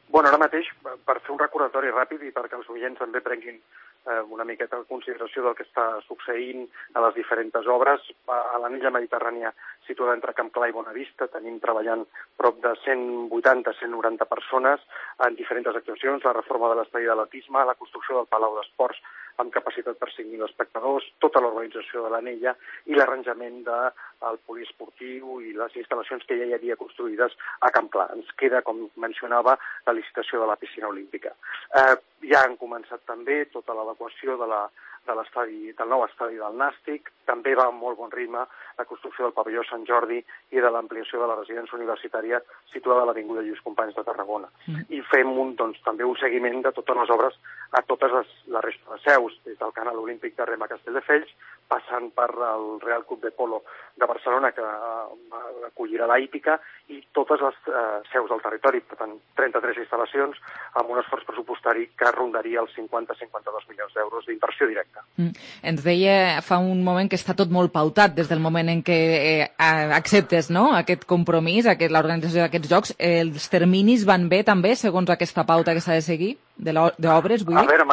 Bueno, ara mateix, per fer un recordatori ràpid i perquè els oients també prenguin eh, una miqueta en consideració del que està succeint a les diferents obres, a l'anella mediterrània situada entre Camp Clar i Bonavista tenim treballant prop de cent vuitanta a cent noranta persones en diferents actuacions, la reforma de l'estadi d'atletisme, la construcció del Palau d'Esports amb capacitat per cinc mil espectadors, tota l'organització de l'anella i l'arranjament del poliesportiu i les instal·lacions que ja hi havia construïdes a Camp Clar. Ens queda, com mencionava, la licitació de la piscina olímpica. Eh, ja han començat també tota l'adequació de la de l'estadi, del nou estadi del Nàstic, també va amb molt bon ritme la construcció del pavelló Sant Jordi i de l'ampliació de la residència universitària situada a l'Avinguda Lluís Companys de Tarragona. Mm. I fem un, doncs, també un seguiment de totes les obres a totes les, la resta de seus, des del Canal Olímpic de Rem a Castelldefels, passant per el Real Club de Polo de Barcelona, que uh, acollirà la hípica, i totes les uh, seus del territori, per tant, trenta-tres instal·lacions, amb un esforç pressupostari que rondaria els cinquanta a cinquanta-dos milions d'euros d'inversió directa. Mm. Ens deia fa un moment que està tot molt pautat des del moment en què eh, acceptes, no?, aquest compromís, aquest, l'organització d'aquests jocs. Els terminis van bé també, segons aquesta pauta que s'ha de seguir, d'obres, vull dir? A veure,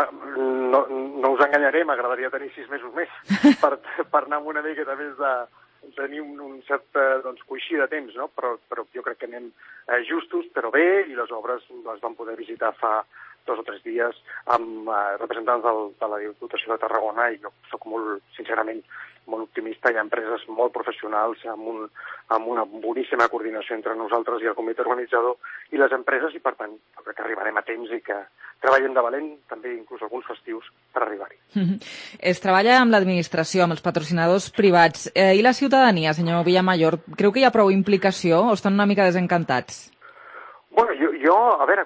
no, no us enganyaré, m'agradaria tenir sis mesos més per, per anar amb una miqueta més de tenir un, un cert doncs, coixí de temps, no? Però, però jo crec que anem eh, justos, però bé, i les obres les vam poder visitar fa dos o tres dies amb eh, representants del, de la Diputació de Tarragona, i jo sóc molt, sincerament, molt optimista. Hi ha empreses molt professionals amb, un, amb una boníssima coordinació entre nosaltres i el comitè organitzador i les empreses, i per tant jo crec que arribarem a temps i que treballem de valent, també inclús alguns festius, per arribar-hi. Mm-hmm. Es treballa amb l'administració, amb els patrocinadors privats. Eh, I la ciutadania, senyor Villamayor, creu que hi ha prou implicació o estan una mica desencantats? Bueno, jo, jo a veure,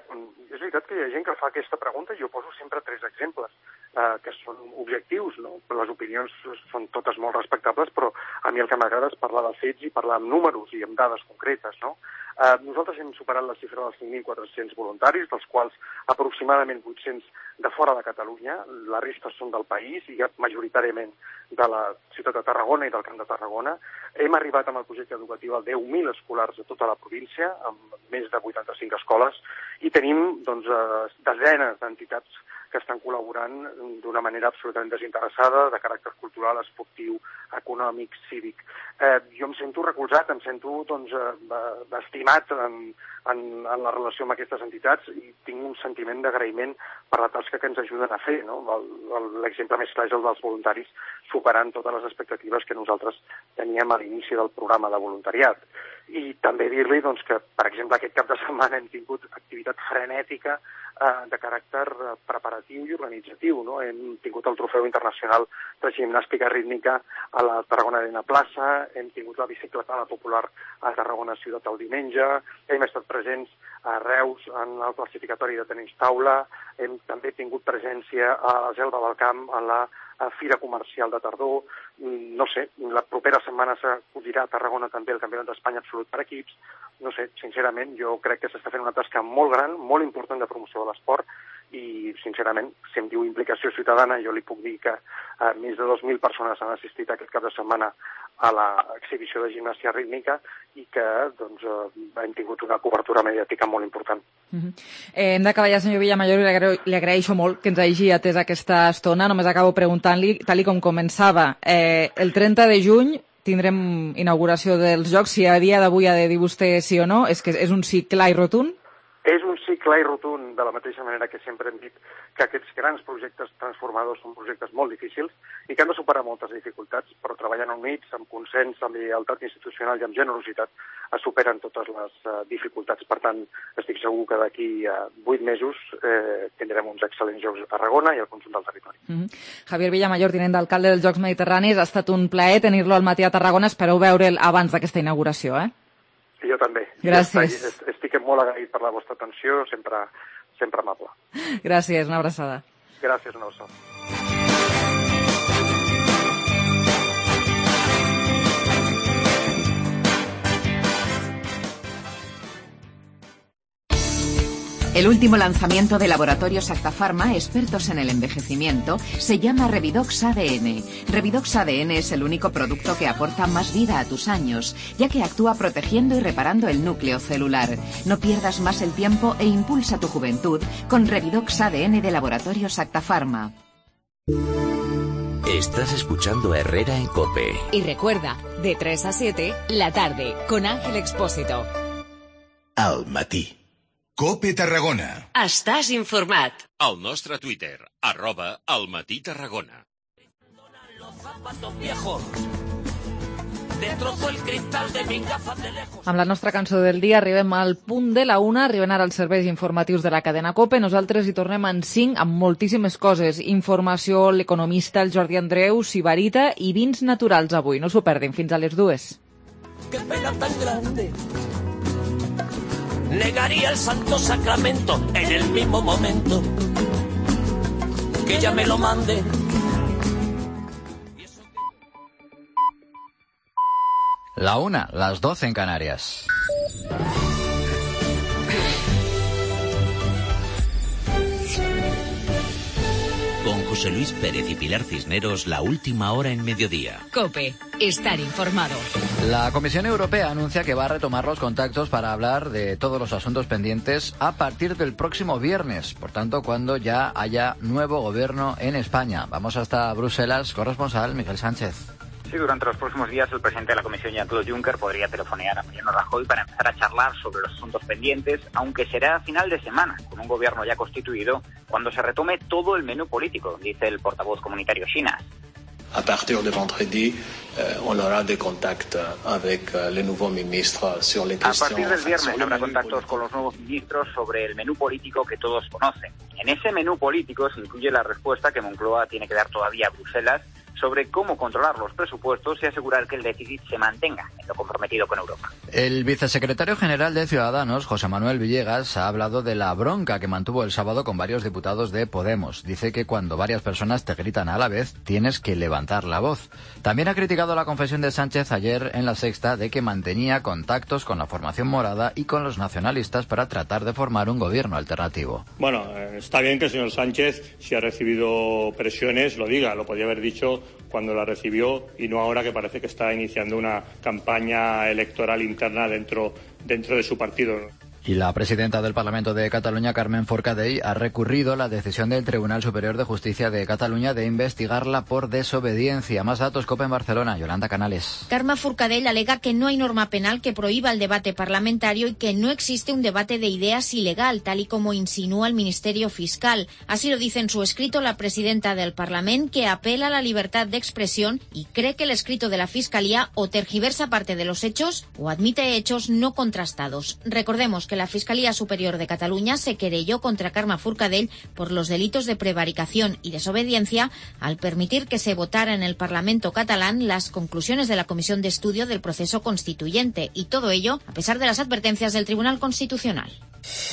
és veritat que hi ha gent que fa aquesta pregunta i jo poso sempre tres exemples eh, que són objectius, no? Les opinions són totes molt respectables, però a mi el que m'agrada és parlar de fets i parlar amb números i amb dades concretes, no? Eh, nosaltres hem superat la xifra dels cinc mil quatre-cents voluntaris, dels quals aproximadament vuit-cents de fora de Catalunya, la resta són del país i majoritàriament de la ciutat de Tarragona i del Camp de Tarragona. Hem arribat amb el projecte educatiu a deu mil escolars de tota la província, amb més de vuitanta-cinc escoles, i tenim doncs, desenes d'entitats que estan col·laborant d'una manera absolutament desinteressada, de caràcter cultural, esportiu, econòmic, cívic. Eh, jo em sento recolzat, em sento doncs, estimat en, en, en la relació amb aquestes entitats i tinc un sentiment d'agraïment per la tasca que ens ajuden a fer, no? L'exemple més clar és el dels voluntaris, superant totes les expectatives que nosaltres teníem a l'inici del programa de voluntariat. I també dir-li doncs, que, per exemple, aquest cap de setmana hem tingut activitat frenètica eh, de caràcter preparatiu i organitzatiu, no? Hem tingut el trofeu internacional de gimnàstica rítmica a la Tarragona Arena Plaça, hem tingut la bicicletada popular a Tarragona Ciutat el diumenge, hem estat presents a Reus en el classificatori de tenis taula, hem també tingut presència a la Selva del Camp en la a Fira Comercial de Tardor. No sé, la propera setmana s'acudirà a Tarragona també el Campionat d'Espanya absolut per equips. No sé, sincerament, jo crec que s'està fent una tasca molt gran, molt important de promoció de l'esport i, sincerament, si em diu implicació ciutadana, jo li puc dir que eh, més de dos mil persones han assistit aquest cap de setmana a l'exhibició de gimnàstica rítmica i que doncs, eh, hem tingut una cobertura mediàtica molt important. Uh-huh. eh, hem d'acabar ja, senyor Villamayor, li, agra li agraeixo molt que ens hagi atès aquesta estona. Només acabo preguntant-li, tal com començava, eh, el trenta de juny tindrem inauguració dels Jocs. Si a dia d'avui ha de dir vostè sí o no, és que és un sí clar i rotund? És un sí clar i rotund, de la mateixa manera que sempre hem dit que aquests grans projectes transformadors són projectes molt difícils i que han de superar moltes dificultats, però treballant units, amb consens, amb lleialtat institucional i amb generositat, es superen totes les uh, dificultats. Per tant, estic segur que d'aquí a uh, vuit mesos eh, tindrem uns excel·lents Jocs a Tarragona i al conjunt del territori. Mm-hmm. Javier Villamayor, tinent d'alcalde dels Jocs Mediterranis, ha estat un plaer tenir-lo al matí a Tarragona. Espereu veure'l abans d'aquesta inauguració, eh? Jo també. Gràcies. Estic, estic molt agraït per la vostra atenció, sempre, sempre amable. Gràcies, una abraçada. Gràcies, una abraçada. El último lanzamiento de Laboratorios Acta Pharma, expertos en el envejecimiento, se llama Revidox A D N. Revidox A D N es el único producto que aporta más vida a tus años, ya que actúa protegiendo y reparando el núcleo celular. No pierdas más el tiempo e impulsa tu juventud con Revidox A D N de Laboratorios Acta Pharma. Estás escuchando a Herrera en COPE. Y recuerda, de tres a siete, la tarde, con Ángel Expósito. Al matí. COPE Tarragona. Estàs informat. Al nostre Twitter, arroba al matí Tarragona. Amb la nostra cançó del dia arribem al punt de la una, arriben ara els serveis informatius de la cadena COPE. Nosaltres hi tornem en cinc amb moltíssimes coses. Informació, l'economista, el Jordi Andreu, Sibarita i vins naturals avui. No s'ho perdin, fins a les dues. Qué pena tan grande. Negaría el santo sacramento en el mismo momento que ella me lo mande. La una, las doce en Canarias. Con José Luis Pérez y Pilar Cisneros, la última hora en mediodía. COPE, estar informado. La Comisión Europea anuncia que va a retomar los contactos para hablar de todos los asuntos pendientes a partir del próximo viernes, por tanto, cuando ya haya nuevo gobierno en España. Vamos hasta Bruselas, corresponsal Miguel Sánchez. Sí, durante los próximos días el presidente de la Comisión, Jean-Claude Juncker, podría telefonear a Mariano Rajoy para empezar a charlar sobre los asuntos pendientes, aunque será a final de semana, con un gobierno ya constituido, cuando se retome todo el menú político, dice el portavoz comunitario Chinas. A partir de vendredi, eh, on aura des contacts avec eh, les nouveaux ministres sur les questions. A partir del viernes habrá contactos con los nuevos ministros sobre el menú político que todos conocen. En ese menú político se incluye la respuesta que Moncloa tiene que dar todavía a Bruselas sobre cómo controlar los presupuestos y asegurar que el déficit se mantenga en lo comprometido con Europa. El vicesecretario general de Ciudadanos, José Manuel Villegas, ha hablado de la bronca que mantuvo el sábado con varios diputados de Podemos. Dice que cuando varias personas te gritan a la vez, tienes que levantar la voz. También ha criticado la confesión de Sánchez ayer en La Sexta de que mantenía contactos con la formación morada y con los nacionalistas para tratar de formar un gobierno alternativo. Bueno, está bien que el señor Sánchez, si ha recibido presiones, lo diga. Lo podía haber dicho cuando la recibió y no ahora, que parece que está iniciando una campaña electoral interna dentro, dentro de su partido. Y la presidenta del Parlamento de Cataluña, Carmen Forcadell, ha recurrido la decisión del Tribunal Superior de Justicia de Cataluña de investigarla por desobediencia. Más datos, COPE en Barcelona. Yolanda Canales. Carmen Forcadell alega que no hay norma penal que prohíba el debate parlamentario y que no existe un debate de ideas ilegal, tal y como insinúa el Ministerio Fiscal. Así lo dice en su escrito la presidenta del Parlamento, que apela a la libertad de expresión y cree que el escrito de la Fiscalía o tergiversa parte de los hechos o admite hechos no contrastados. Recordemos que la Fiscalía Superior de Cataluña se querelló contra Carme Forcadell por los delitos de prevaricación y desobediencia al permitir que se votara en el Parlamento catalán las conclusiones de la Comisión de Estudio del Proceso Constituyente, y todo ello a pesar de las advertencias del Tribunal Constitucional.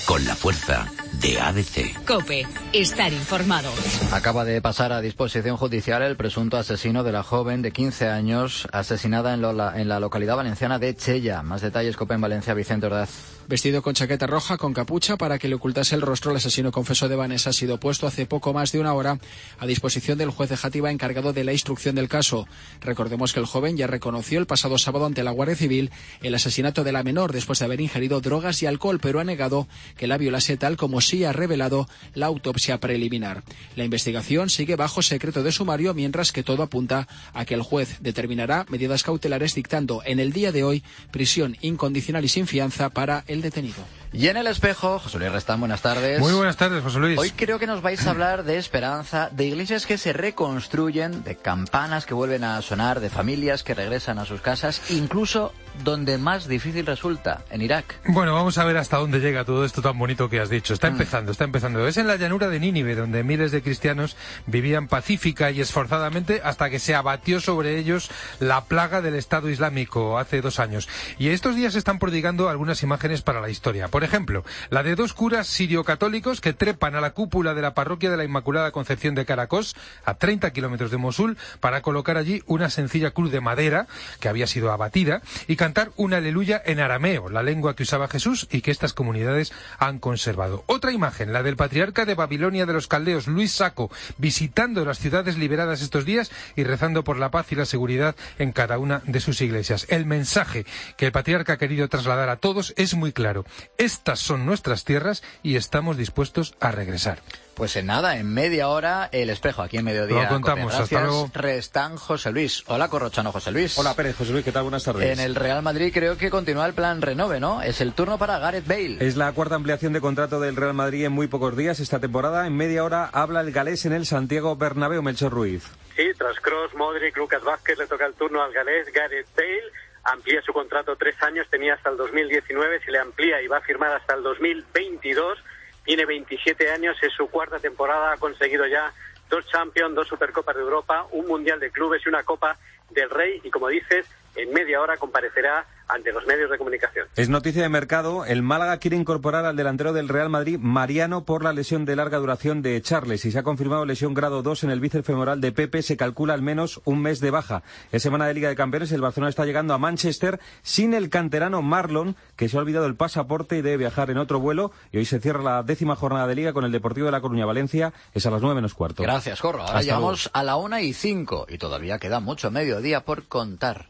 Con la fuerza de A D C. COPE, estar informado. Acaba de pasar a disposición judicial el presunto asesino de la joven de quince años asesinada en, Lola, en la localidad valenciana de Chella. Más detalles, COPE en Valencia, Vicente Ordaz. Vestido con chaqueta roja con capucha para que le ocultase el rostro, el asesino confeso de Vanessa ha sido puesto hace poco más de una hora a disposición del juez de Játiva encargado de la instrucción del caso. Recordemos que el joven ya reconoció el pasado sábado ante la Guardia Civil el asesinato de la menor después de haber ingerido drogas y alcohol, pero ha negado que la violase, tal como sí ha revelado la autopsia preliminar. La investigación sigue bajo secreto de sumario, mientras que todo apunta a que el juez determinará medidas cautelares, dictando en el día de hoy prisión incondicional y sin fianza para el detenido. Y en el espejo, José Luis Restán, buenas tardes. Muy buenas tardes, José Luis. Hoy creo que nos vais a hablar de esperanza, de iglesias que se reconstruyen, de campanas que vuelven a sonar, de familias que regresan a sus casas, incluso donde más difícil resulta, en Irak. Bueno, vamos a ver hasta dónde llega todo esto tan bonito que has dicho. Está empezando, está empezando. Es en la llanura de Nínive, donde miles de cristianos vivían pacífica y esforzadamente hasta que se abatió sobre ellos la plaga del Estado Islámico hace dos años. Y estos días se están prodigando algunas imágenes para la historia. Por ejemplo, la de dos curas sirio-católicos que trepan a la cúpula de la parroquia de la Inmaculada Concepción de Caracos, a treinta kilómetros de Mosul, para colocar allí una sencilla cruz de madera que había sido abatida y cantar un aleluya en arameo, la lengua que usaba Jesús y que estas comunidades autoridades han conservado. Otra imagen, la del patriarca de Babilonia de los caldeos, Luis Sacco, visitando las ciudades liberadas estos días y rezando por la paz y la seguridad en cada una de sus iglesias. El mensaje que el patriarca ha querido trasladar a todos es muy claro. Estas son nuestras tierras y estamos dispuestos a regresar. Pues en nada, en media hora, El Espejo, aquí en Mediodía. Lo contamos, Gracias, hasta luego. Restán José Luis. Hola, Corrochano, José Luis. Hola, Pérez, José Luis, ¿qué tal? Buenas tardes. En el Real Madrid creo que continúa el plan Renove, ¿no? Es el turno para Gareth Bale. Es la cuarta ampliación de contrato del Real Madrid en muy pocos días esta temporada. En media hora habla el galés en el Santiago Bernabéu, Melchor Ruiz. Sí, tras Kroos, Modric, Lucas Vázquez, le toca el turno al galés Gareth Bale. Amplía su contrato tres años, tenía hasta el dos mil diecinueve, se le amplía y va a firmar hasta el dos mil veintidós. Tiene veintisiete años, es su cuarta temporada, ha conseguido ya dos Champions, dos Supercopas de Europa, un Mundial de Clubes y una Copa del Rey. Y como dices, en media hora comparecerá ante los medios de comunicación. Es noticia de mercado. El Málaga quiere incorporar al delantero del Real Madrid, Mariano, por la lesión de larga duración de Charles. Y se ha confirmado lesión grado dos en el bíceps femoral de Pepe. Se calcula al menos un mes de baja. Es semana de Liga de Campeones. El Barcelona está llegando a Manchester sin el canterano Marlon, que se ha olvidado el pasaporte y debe viajar en otro vuelo. Y hoy se cierra la décima jornada de Liga con el Deportivo de La Coruña Valencia. Es a las nueve menos cuarto. Gracias, Corro. Ahora Hasta llegamos luego. A la una y cinco. Y todavía queda mucho mediodía por contar.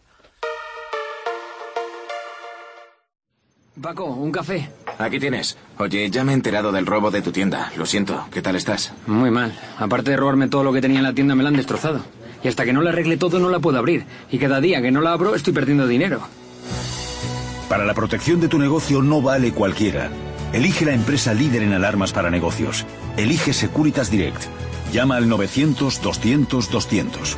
Paco, un café. Aquí tienes. Oye, ya me he enterado del robo de tu tienda. Lo siento. ¿Qué tal estás? Muy mal. Aparte de robarme todo lo que tenía en la tienda, me la han destrozado. Y hasta que no la arregle todo, no la puedo abrir. Y cada día que no la abro, estoy perdiendo dinero. Para la protección de tu negocio no vale cualquiera. Elige la empresa líder en alarmas para negocios. Elige Securitas Direct. Llama al novecientos, doscientos, doscientos.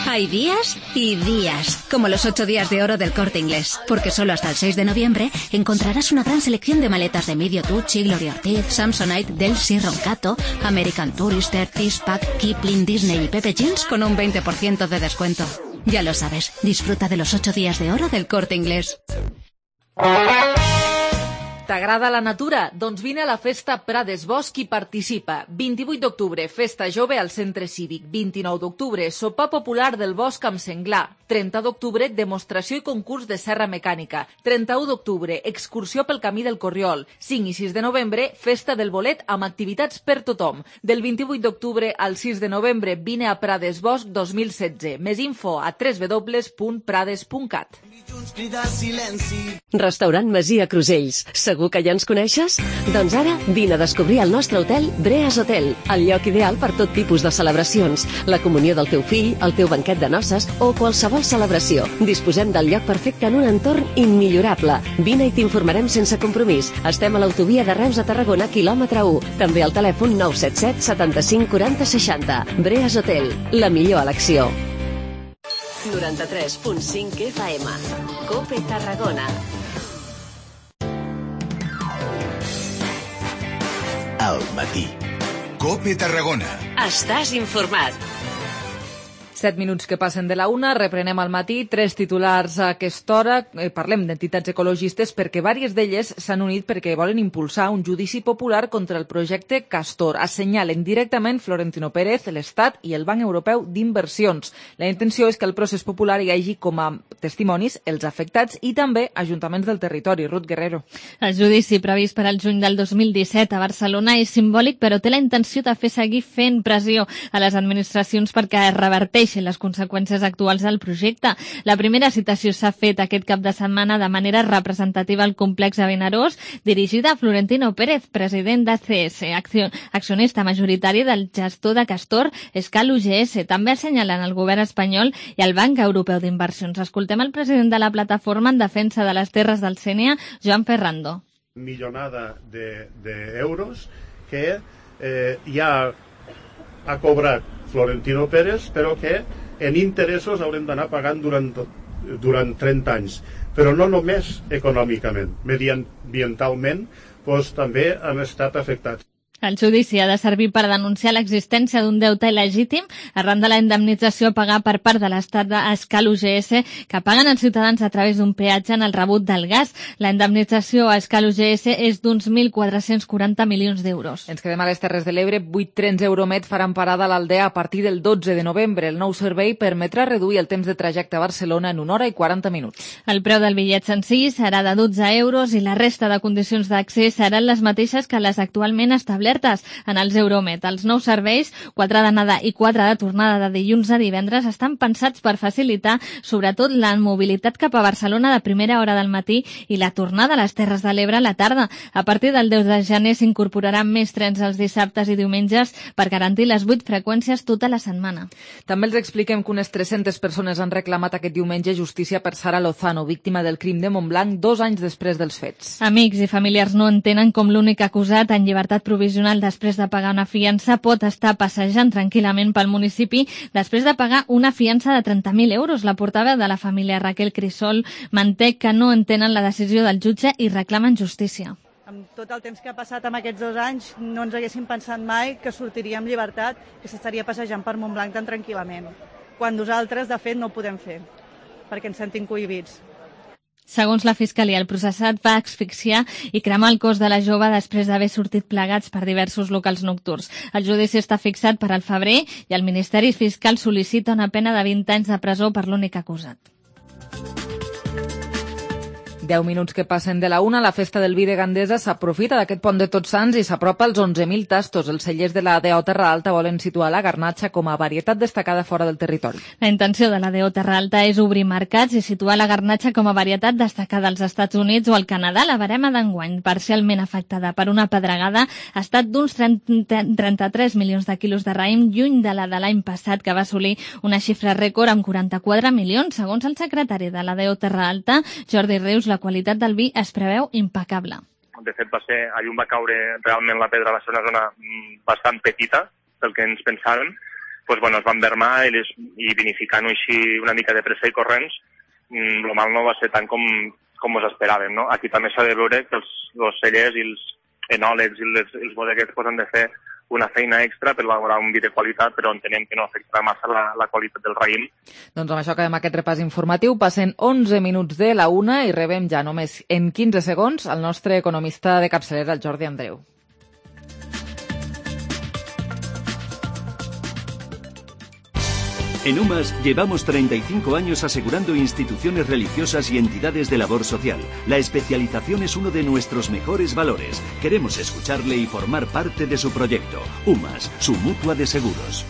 Hay días y días, como los ocho días de oro del Corte Inglés, porque solo hasta el seis de noviembre encontrarás una gran selección de maletas de Medio Tucci, Gloria Ortiz, Samsonite, Delcy, Roncato, American Tourister, Tispac, Kipling, Disney y Pepe Jeans con un veinte por ciento de descuento. Ya lo sabes, disfruta de los ocho días de oro del Corte Inglés. T'agrada la natura? Doncs vine a la festa Prades Bosc i participa. vint-i-vuit d'octubre, festa jove al centre cívic. vint-i-nou d'octubre, sopar popular del bosc amb senglar. trenta d'octubre, demostració i concurs de serra mecànica. trenta-u d'octubre, excursió pel camí del Corriol. cinc i sis de novembre, festa del bolet amb activitats per tothom. Del vint-i-vuit d'octubre al sis de novembre, vine a Prades Bosc dos mil setze. Més info a w w w punt prades punt cat. Restaurant Masia Crusells. Segur que ja ens coneixes? Doncs ara vine a descobrir el nostre hotel Breas Hotel, el lloc ideal per tot tipus de celebracions, la comunió del teu fill, el teu banquet de noces o qualsevol celebració. Disposem del lloc perfecte en un entorn immillorable. Vine i t'informarem sense compromís. Estem a l'autovia de Reus a Tarragona, quilòmetre u. També al telèfon nou set set setanta-cinc quaranta seixanta. Breas Hotel, la millor elecció. noranta-tres punt cinc F M. COPE Tarragona. Al matí. COPE Tarragona. Estàs informat. Set minuts que passen de la una, reprenem al matí, tres titulars a aquesta hora. Eh, parlem d'entitats ecologistes perquè vàries d'elles s'han unit perquè volen impulsar un judici popular contra el projecte Castor. Assenyalen directament Florentino Pérez, l'Estat i el Banc Europeu d'Inversions. La intenció és que el procés popular hi hagi com a testimonis els afectats i també ajuntaments del territori. Ruth Guerrero. El judici previst per al juny del dos mil disset a Barcelona és simbòlic, però té la intenció de fer seguir fent pressió a les administracions perquè es reverteixin les conseqüències actuals del projecte. La primera citació s'ha fet aquest cap de setmana de manera representativa al complex de Vinaròs, dirigida a Florentino Pérez, president d'A C S, accionista majoritari del gestor de Castor, Escal U G S. També assenyalen el govern espanyol i el Banc Europeu d'Inversions. Escoltem el president de la plataforma en defensa de les terres del Sénia, Joan Ferrando. Millonada d'euros que eh, ja ha cobrat Florentino Pérez, però que en interessos haurem d'anar pagant durant, durant trenta anys. Però no només econòmicament, mediambientalment, doncs també han estat afectats. El judici ha de servir per denunciar l'existència d'un deute il·legítim arran de la indemnització a pagar per part de l'Estat d'Escal U G S que paguen els ciutadans a través d'un peatge en el rebut del gas. La indemnització a Escal U G S és d'uns mil quatre-cents quaranta milions d'euros. Ens quedem a les Terres de l'Ebre. Vuit trens Euromed faran parada a l'Aldea a partir del dotze de novembre. El nou servei permetrà reduir el temps de trajecte a Barcelona en una hora i quaranta minuts. El preu del bitllet senzill serà de dotze euros i la resta de condicions d'accés seran les mateixes que les actualment establertes en els Euromed. Els nous serveis, quatre d'anada i quatre de tornada de dilluns a divendres, estan pensats per facilitar sobretot la mobilitat cap a Barcelona de primera hora del matí i la tornada a les Terres de l'Ebre a la tarda. A partir del deu de gener s'incorporaran més trens els dissabtes i diumenges per garantir les vuit freqüències tota la setmana. També els expliquem que unes tres-centes persones han reclamat aquest diumenge justícia per Sara Lozano, víctima del crim de Montblanc dos anys després dels fets. Amics i familiars no entenen com l'únic acusat en llibertat provisional després de pagar una fiança pot estar passejant tranquil·lament pel municipi després de pagar una fiança de trenta mil euros. La portaveu de la família, Raquel Crisol, manté que no entenen la decisió del jutge i reclamen justícia. Amb tot el temps que ha passat amb aquests dos anys no ens haguéssim pensat mai que sortiria amb llibertat, que s'estaria passejant per Montblanc tan tranquil·lament, quan nosaltres, de fet, no ho podem fer, perquè ens sentim cohibits. Segons la Fiscalia, el processat va asfixiar i cremar el cos de la jove després d'haver sortit plegats per diversos locals nocturns. El judici està fixat per al febrer i el Ministeri Fiscal sol·licita una pena de vint anys de presó per l'únic acusat. Deu minuts que passen de la una, la festa del vi de Gandesa s'aprofita d'aquest pont de Tots Sants i s'apropa als onze mil tastos. Els cellers de la D O Terra Alta volen situar la garnatxa com a varietat destacada fora del territori. La intenció de la D O Terra Alta és obrir mercats i situar la garnatxa com a varietat destacada als Estats Units o al Canadà. La barema d'enguany, parcialment afectada per una pedregada, ha estat d'uns trenta-tres milions de quilos de raïm, lluny de la de l'any passat, que va assolir una xifra rècord amb quaranta-quatre milions. Segons el secretari de la D O Terra Alta, Jordi Rius, la qualitat del vi es preveu impecable. De fet, va ser, a llum va caure realment la pedra, va ser una zona bastant petita pel que ens pensàvem. Pues, bueno, es van vermar i, les, i vinificant-ho així una mica de pressa i corrents, el mal no va ser tant com, com us esperàvem. No? Aquí també s'ha de veure que els, els cellers i els enòlegs i els, els bodeguers pues, han de fer una feina extra per elaborar un vi de qualitat, però entenem que no afectarà massa la, la qualitat del raïm. Doncs amb això acabem aquest repàs informatiu. Passen onze minuts de la una i rebem ja només en quinze segons el nostre economista de capçalera, el Jordi Andreu. En UMAS llevamos treinta y cinco años asegurando instituciones religiosas y entidades de labor social. La especialización es uno de nuestros mejores valores. Queremos escucharle y formar parte de su proyecto. UMAS, su mutua de seguros.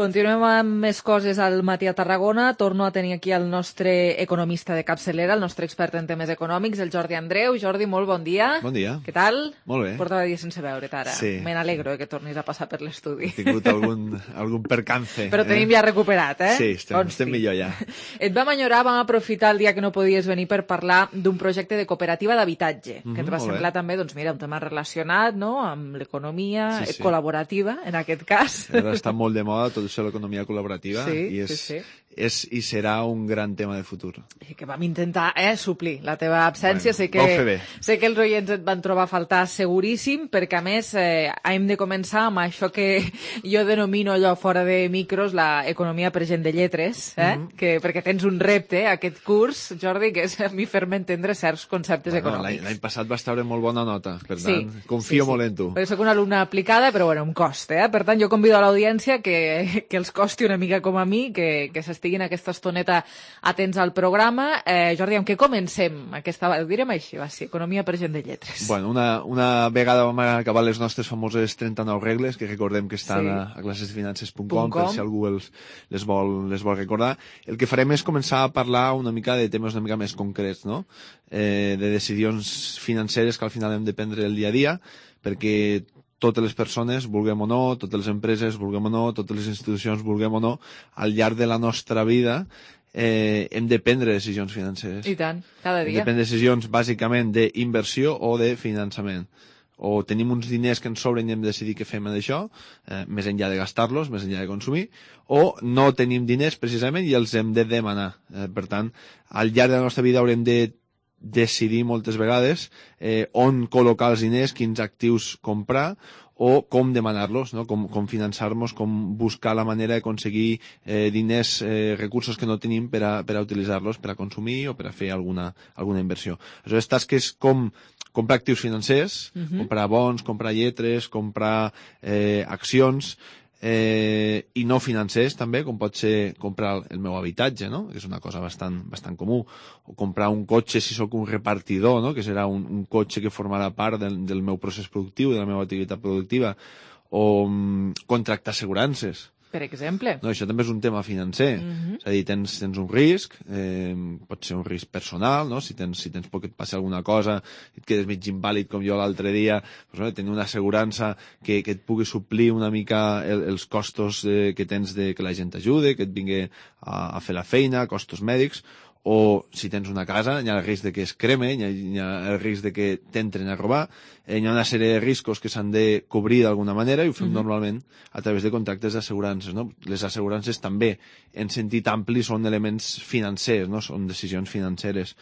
Continuem amb més coses al matí a Tarragona. Torno a tenir aquí el nostre economista de capçalera, el nostre expert en temes econòmics, el Jordi Andreu. Jordi, molt bon dia. Bon dia. Què tal? Molt bé. Portava dies sense veure't ara. Sí. Me n'alegro que tornis a passar per l'estudi. He tingut algun, algun percance. Però tenim eh? ja recuperat, eh? Sí, estem, doncs estem sí. millor ja. Et vam enyorar, vam aprofitar el dia que no podies venir per parlar d'un projecte de cooperativa d'habitatge, mm-hmm, que et va semblar bé. També, doncs mira, un tema relacionat, no?, amb l'economia sí, sí. col·laborativa, en aquest cas. Ara està molt de moda tot això l'economia col·laborativa. Sí, i és, sí, sí. és i serà un gran tema de futur. I que vam intentar eh, suplir la teva absència. Bueno, sé, que, sé que els oients et van trobar a faltar seguríssim, perquè a més eh, hem de començar amb això que jo denomino allò fora de micros la economia per gent de lletres, eh? mm-hmm. que, perquè tens un repte, aquest curs, Jordi, que és a mi fer-me entendre certs conceptes bueno, econòmics. L'any passat vas treure molt bona nota, per sí, tant, confio sí, sí. molt en tu. Perquè soc una alumna aplicada, però bueno, em costa, eh? Per tant, jo convido a l'audiència que, que els costi una mica com a mi, que, que s'estiguin aquesta estoneta atents al programa. Eh, Jordi, amb què comencem? Aquesta, ho direm així, va, sí, economia per gent de lletres. Bueno, una, una vegada vam acabar les nostres famoses trenta-nou regles, que recordem que estan sí. a, a clasesdefinances punt com, per si algú els, les, vol, les vol recordar. El que farem és començar a parlar una mica de temes una mica més concrets, no? Eh, de decisions financeres que al final hem de prendre el dia a dia, perquè totes les persones, vulguem o no, totes les empreses, vulguem o no, totes les institucions, vulguem o no, al llarg de la nostra vida eh, hem de prendre decisions financeres. I tant, cada dia. Hem de prendre decisions bàsicament d'inversió o de finançament. o tenim uns diners que ens sobren i hem de decidir què fem amb això, eh, més enllà de gastar-los, més enllà de consumir, o no tenim diners precisament i els hem de demanar. Eh, per tant, al llarg de la nostra vida haurem de decidir moltes vegades eh, on col·locar els diners, quins actius comprar o com demanar-los, no? com, com finançar-nos, com buscar la manera d'aconseguir eh, diners, eh, recursos que no tenim per a, per a utilitzar-los, per a consumir o per a fer alguna, alguna inversió. Aleshores, tasques com comprar actius financers, uh-huh. comprar bons, comprar lletres, comprar eh, accions, Eh, i no financers també, com pot ser comprar el meu habitatge, no? Que és una cosa bastant, bastant comú, o comprar un cotxe si sóc un repartidor, no? Que serà un, un cotxe que formarà part del, del meu procés productiu, de la meva activitat productiva, o um, contractar assegurances. Per exemple. No, això també és un tema financer. Uh-huh. És a dir, tens, tens un risc, eh, pot ser un risc personal, no? Si tens, si tens por que et passi alguna cosa, et quedes mig invàlid com jo l'altre dia, doncs, no? Tenir una assegurança que, que et pugui suplir una mica el, els costos eh, que tens de que la gent t'ajude, que et vingui a, a fer la feina, costos mèdics, o si tens una casa, hi ha el risc de que es creme, hi ha, hi ha el risc de que t'entren a robar, eh, hi ha una sèrie de riscos que s'han de cobrir d'alguna manera i ho fem uh-huh. normalment a través de contractes d'assegurances, no? Les assegurances també, en sentit ampli, són elements financers, no? Són decisions financeres.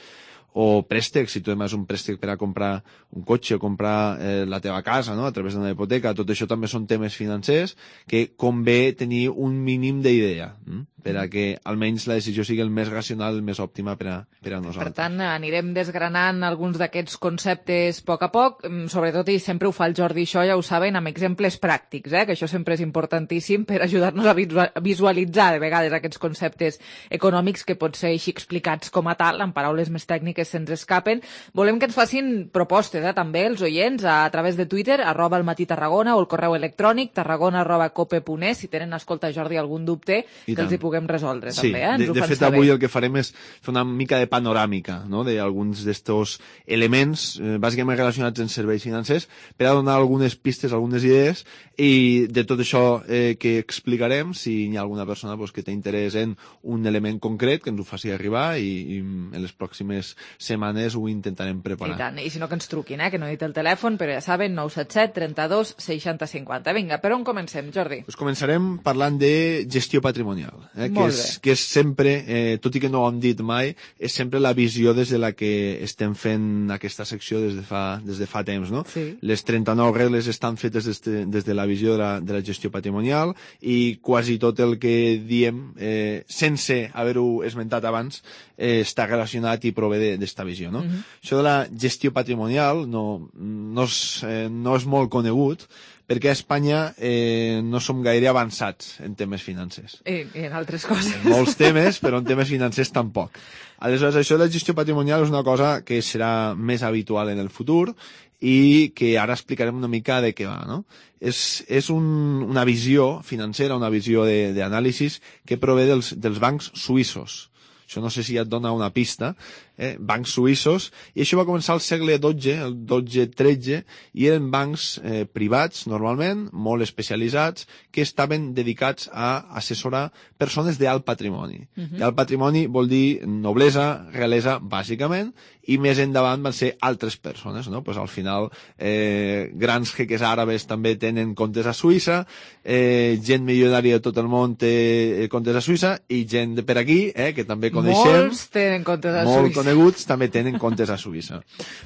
O préstecs, si tu demanes un préstec per a comprar un cotxe o comprar eh, la teva casa, no? A través d'una hipoteca, tot això també són temes financers que convé tenir un mínim d'idea, hm? per a que almenys la decisió sigui el més racional, el més òptima per a, per a nosaltres. Per tant, anirem desgranant alguns d'aquests conceptes a poc a poc, sobretot, i sempre ho fa el Jordi, això ja ho saben, amb exemples pràctics, eh? Que això sempre és importantíssim per ajudar-nos a visualitzar de vegades aquests conceptes econòmics que pot ser així explicats com a tal, en paraules més tècniques se'ns escapen. Volem que ens facin propostes, eh, també, els oients, a través de Twitter, arroba el matí Tarragona, o el correu electrònic, tarragona arroba cope punt es, si tenen, escolta, Jordi, algun dubte, I que tant. els hi puguem resoldre, sí, també, eh? Ens de, de fet, saber. Avui el que farem és fer una mica de panoràmica, no?, d'alguns d'estos elements, eh, bàsicament relacionats amb serveis financers, per a donar algunes pistes, algunes idees, i de tot això eh, que explicarem, si hi ha alguna persona pues, que té interès en un element concret, que ens ho faci arribar, i, i en les pròximes setmanes ho intentarem preparar. I tant, i si no que ens truquin, eh? Que no he dit el telèfon, però ja saben, nou set set, trenta-dos, seixanta, cinquanta. Vinga, per on comencem, Jordi? Pues començarem parlant de gestió patrimonial, eh? que, és, que és sempre, eh, tot i que no ho hem dit mai, és sempre la visió des de la que estem fent aquesta secció des de fa, des de fa temps, no? Sí. Les trenta-nou regles estan fetes des de, des de la visió de la, de la gestió patrimonial i quasi tot el que diem, eh, sense haver-ho esmentat abans, eh, està relacionat i prové d'esta visió, no? Uh-huh. Això de la gestió patrimonial no, no, és, eh, no és molt conegut, perquè a Espanya eh, no som gaire avançats en temes financers. I, i en altres coses. En molts temes, però en temes financers tampoc. Aleshores, això de la gestió patrimonial és una cosa que serà més habitual en el futur i que ara explicarem una mica de què va, no? És, és un, una visió financera, una visió d'anàlisi que prové dels, dels bancs suïssos. Això no sé si ja et dona una pista, eh? Bancs suïssos, i això va començar al segle dotze, el dotze tretze, i eren bancs eh, privats, normalment, molt especialitzats, que estaven dedicats a assessorar persones d'alt patrimoni. Uh-huh. I alt patrimoni vol dir noblesa, realesa, bàsicament, i més endavant van ser altres persones, no? Pues al final, eh, grans jeques àrabes també tenen comptes a Suïssa, eh, gent milionària de tot el món té comptes a Suïssa, i gent de per aquí, eh, que també coneixem, molts tenen comptes a molt Suïssa. coneguts, també tenen comptes a Suïssa.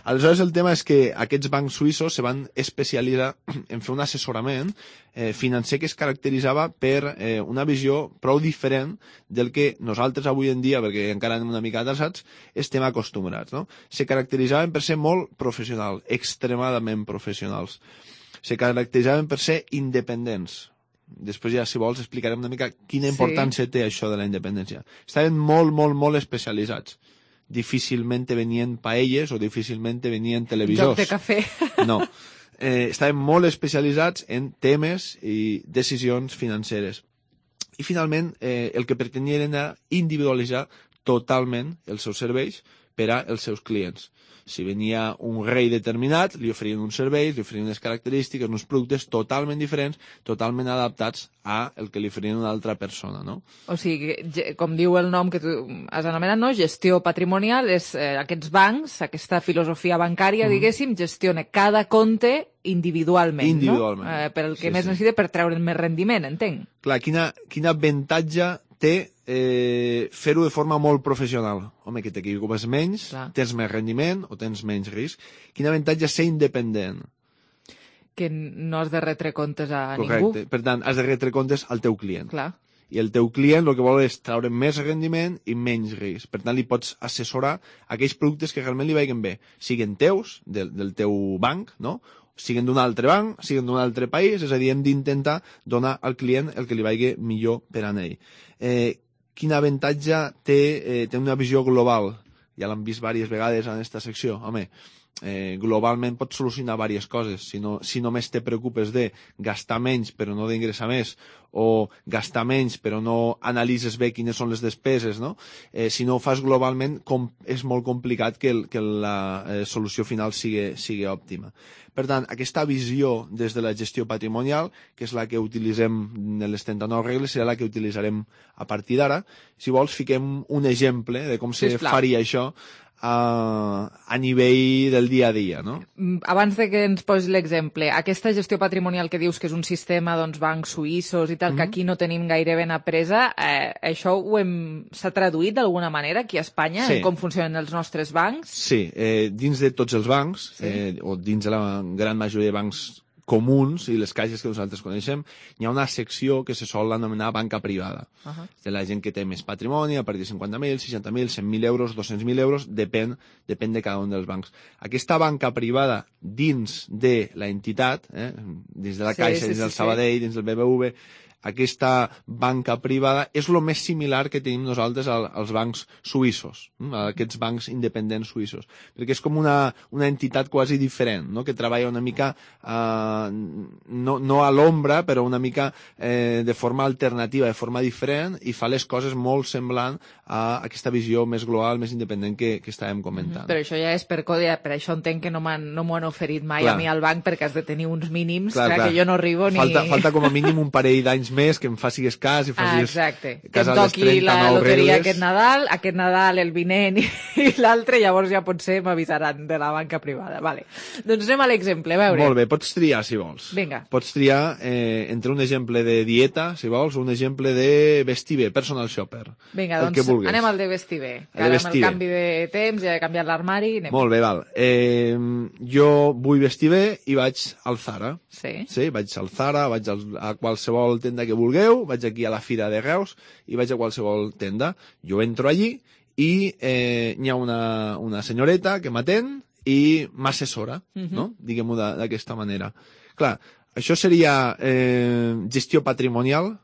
Aleshores, el tema és que aquests bancs suïssos se van especialitzar en fer un assessorament eh, financer que es caracteritzava per eh, una visió prou diferent del que nosaltres avui en dia, perquè encara anem una mica atrasats, estem acostumbrats, no? Se caracteritzaven per ser molt professionals, extremadament professionals. Se caracteritzaven per ser independents. Després ja, si vols, explicarem una mica quina importància sí. té això de la independència. Estaven molt, molt, molt especialitzats. Difícilment venien paelles o difícilment venien televisors. Joc de cafè. No. Eh, estaven molt especialitzats en temes i decisions financeres. I finalment, eh, el que pretenien era individualitzar totalment els seus serveis per als seus clients. Si venia un rei determinat, li oferien uns serveis, li oferien unes característiques, uns productes totalment diferents, totalment adaptats a el que li oferien una altra persona, no? O sigui, com diu el nom que tu has anomenat, no? Gestió patrimonial, és eh, aquests bancs, aquesta filosofia bancària, mm. diguéssim, gestiona cada compte individualment, individualment, no? Eh, per el que sí, més sí. necessita per treure'n més rendiment, entenc. Clar, quina, quin avantatge té eh, fer-ho de forma molt professional. Home, que t'equipes menys, Clar. tens més rendiment o tens menys risc. Quin avantatge ser independent. Que no has de retre comptes a Correcte. ningú. Per tant, has de retre comptes al teu client. Clar. I el teu client el que vol és treure més rendiment i menys risc. Per tant, li pots assessorar aquells productes que realment li vagin bé, siguin teus, del, del teu banc, no? Siguin d'un altre banc, siguin d'un altre país, és a dir, hem d'intentar donar al client el que li vagi millor per a ell. Eh, quin avantatge té, eh, té una visió global? Ja l'hem vist diverses vegades en aquesta secció. Home, eh, globalment pots solucionar diverses coses. Si, no, si només te preocupes de gastar menys però no d'ingressar més, o gastar menys però no analitzes bé quines són les despeses, no? Eh, si no ho fas globalment, com, és molt complicat que, el, que la eh, solució final sigui, sigui òptima. Per tant, aquesta visió des de la gestió patrimonial, que és la que utilitzem en les trenta-nou regles, serà la que utilitzarem a partir d'ara. Si vols, fiquem un exemple de com se Sisplau. faria això a, a nivell del dia a dia, no? Abans de que ens posis l'exemple, aquesta gestió patrimonial que dius que és un sistema, doncs, bancs suïssos i tal, mm-hmm. que aquí no tenim gaire ben apresa, eh, això ho hem... s'ha traduït d'alguna manera aquí a Espanya, Sí. en com funcionen els nostres bancs? Sí, eh, dins de tots els bancs, sí. eh, o dins de la gran majoria de bancs comuns i les caixes que nosaltres coneixem, hi ha una secció que se sol anomenar banca privada. Uh-huh. De la gent que té més patrimoni, a partir de cinquanta mil, seixanta mil, cent mil euros, dos-cents mil euros, depèn, depèn de cada un dels bancs. Aquesta banca privada dins de la entitat, eh, dins de la Sí, Caixa, sí, dins del sí, Sabadell, dins del B B V, aquesta banca privada és el més similar que tenim nosaltres al, als bancs suïssos, hm? aquests bancs independents suïssos, perquè és com una, una entitat quasi diferent, no? Que treballa una mica, eh, no, no a l'ombra, però una mica eh, de forma alternativa, de forma diferent, i fa les coses molt semblant a aquesta visió més global, més independent que, que estàvem comentant. Però això ja és per codi, per això entenc que no m'han no m'ho han oferit mai Clar. a mi al banc, perquè has de tenir uns mínims, Clar, clar, clar. que jo no arribo ni... Falta, falta com a mínim un parell d'anys més que em facis cas i Ah, facis exacte. Que cas em a les toqui la trenta-nou loteria regles. aquest Nadal, aquest Nadal, el vinent i, i l'altre, llavors ja potser m'avisaran de la banca privada. Vale. Doncs anem a l'exemple, a veure. Molt bé, pots triar, si vols. Vinga. Pots triar eh, entre un exemple de dieta, si vols, o un exemple de vestir bé, personal shopper. Vinga, el que doncs vulguis. anem al de vestir bé. El de Que ara amb vestir el bé. canvi de temps ja he canviat l'armari. Anem. Molt bé, val. Eh, jo vull vestir bé i vaig al Zara. Sí. Sí, vaig al Zara, vaig al, a qualsevol tenda que vulgueu, vaig aquí a la Fira de Reus i vaig a qualsevol tenda. Jo entro allí i eh, hi ha una, una senyoreta que m'atén i m'assessora, Mhm. no? Diguem-ho de- d'aquesta manera. Clar, això seria eh, gestió patrimonial.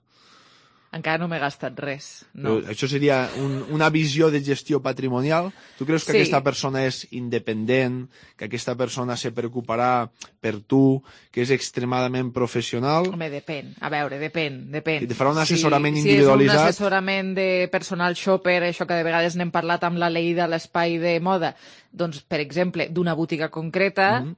Encara no m'he gastat res. No. No. Això seria un, una visió de gestió patrimonial. Tu creus que Sí. aquesta persona és independent, que aquesta persona se preocuparà per tu, que és extremadament professional? Home, depèn. A veure, depèn, depèn. I te farà un assessorament si, individualitzat? Si és un assessorament de personal shopper, això que de vegades n'hem parlat amb la llei de l'espai de moda, doncs, per exemple, d'una botiga concreta, Mhm.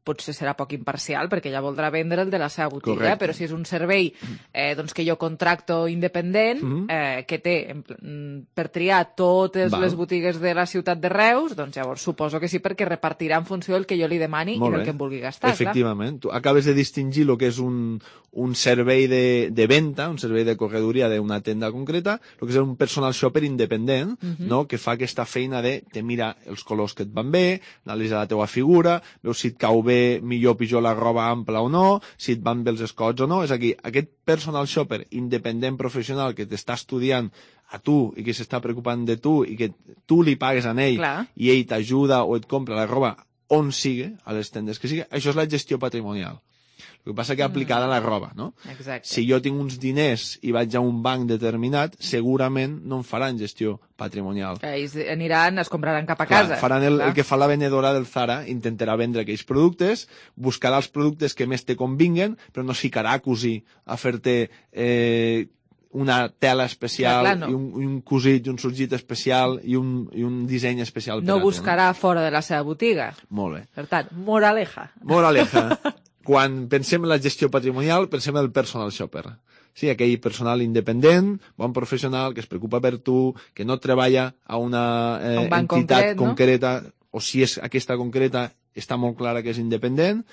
potser serà poc imparcial, perquè ja voldrà vendre el de la seva botiga, Correcte. però si és un servei eh, doncs que jo contracto independent, Mhm. eh, que té en pl- mm, per triar totes Val. les botigues de la ciutat de Reus, doncs llavors suposo que sí, perquè repartirà en funció del que jo li demani Molt i del bé. que em vulgui gastar. Efectivament. Tu acabes de distingir el que és un, un servei de, de venda, un servei de corredoria d'una tenda concreta, el que és un personal shopper independent, Mhm. no? Que fa aquesta feina de te mira els colors que et van bé, analitza la teua figura, veus si et cau bé millor o pitjor la roba ampla o no, si et van bé els escots o no. És a dir, aquest personal shopper independent professional que t'està estudiant a tu i que s'està preocupant de tu i que tu li pagues a ell Clar. i ell t'ajuda o et compra la roba on sigui, a les tendes que sigui, això és la gestió patrimonial. El que passa que aplicada a la roba, no? Exacte. Si jo tinc uns diners i vaig a un banc determinat, segurament no em faran gestió patrimonial. Que ells aniran, es compraran cap a Clar, casa. faran el, Clar. el que fa la venedora del Zara, intentarà vendre aquells productes, buscarà els productes que més te convinguen, però no es ficarà a cosir, a fer-te eh, una tela especial, Clar, clar, no. i, un, i un cosit, i un sorgit especial, i un, i un disseny especial per No a tu, buscarà fora de la seva botiga. Molt bé. Per tant, moraleja. Moraleja. Quan pensem en la gestió patrimonial, pensem en el personal shopper. Sí, aquell personal independent, bon professional, que es preocupa per tu, que no treballa a una eh, Un banc entitat concret, no? concreta, o si és aquesta concreta, està molt clara que és independent,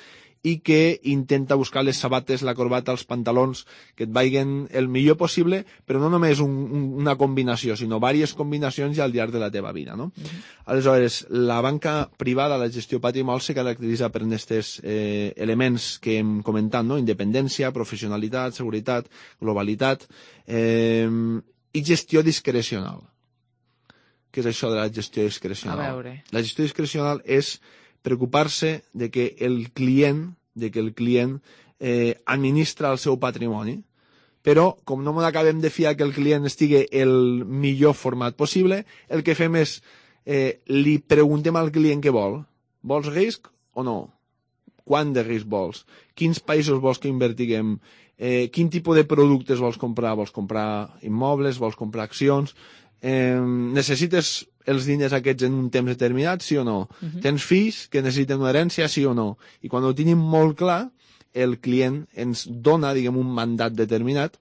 i que intenta buscar les sabates, la corbata, els pantalons que et vagin el millor possible, però no només un, un, una combinació, sinó diverses combinacions ja al llarg de la teva vida, no? Mm-hmm. Aleshores, la banca privada, la gestió patrimonial, se caracteritza per aquests eh, elements que hem comentat, no? Independència, professionalitat, seguretat, globalitat eh, i gestió discrecional. Què és això de la gestió discrecional? A veure. La gestió discrecional és preocupar-se de que el client, de que el client eh, administra el seu patrimoni, però com no m'acabem de fiar que el client estigui el millor format possible, el que fem és eh, li preguntem al client què vol. Vols risc o no? Quant de risc vols? Quins països vols que invertiguem? Eh, quin tipus de productes vols comprar? Vols comprar immobles? Vols comprar accions? Eh, necessites els diners aquests en un temps determinat, sí o no? Uh-huh. Tens fills que necessiten una herència, sí o no? I quan ho tenim molt clar, el client ens dona, diguem, un mandat determinat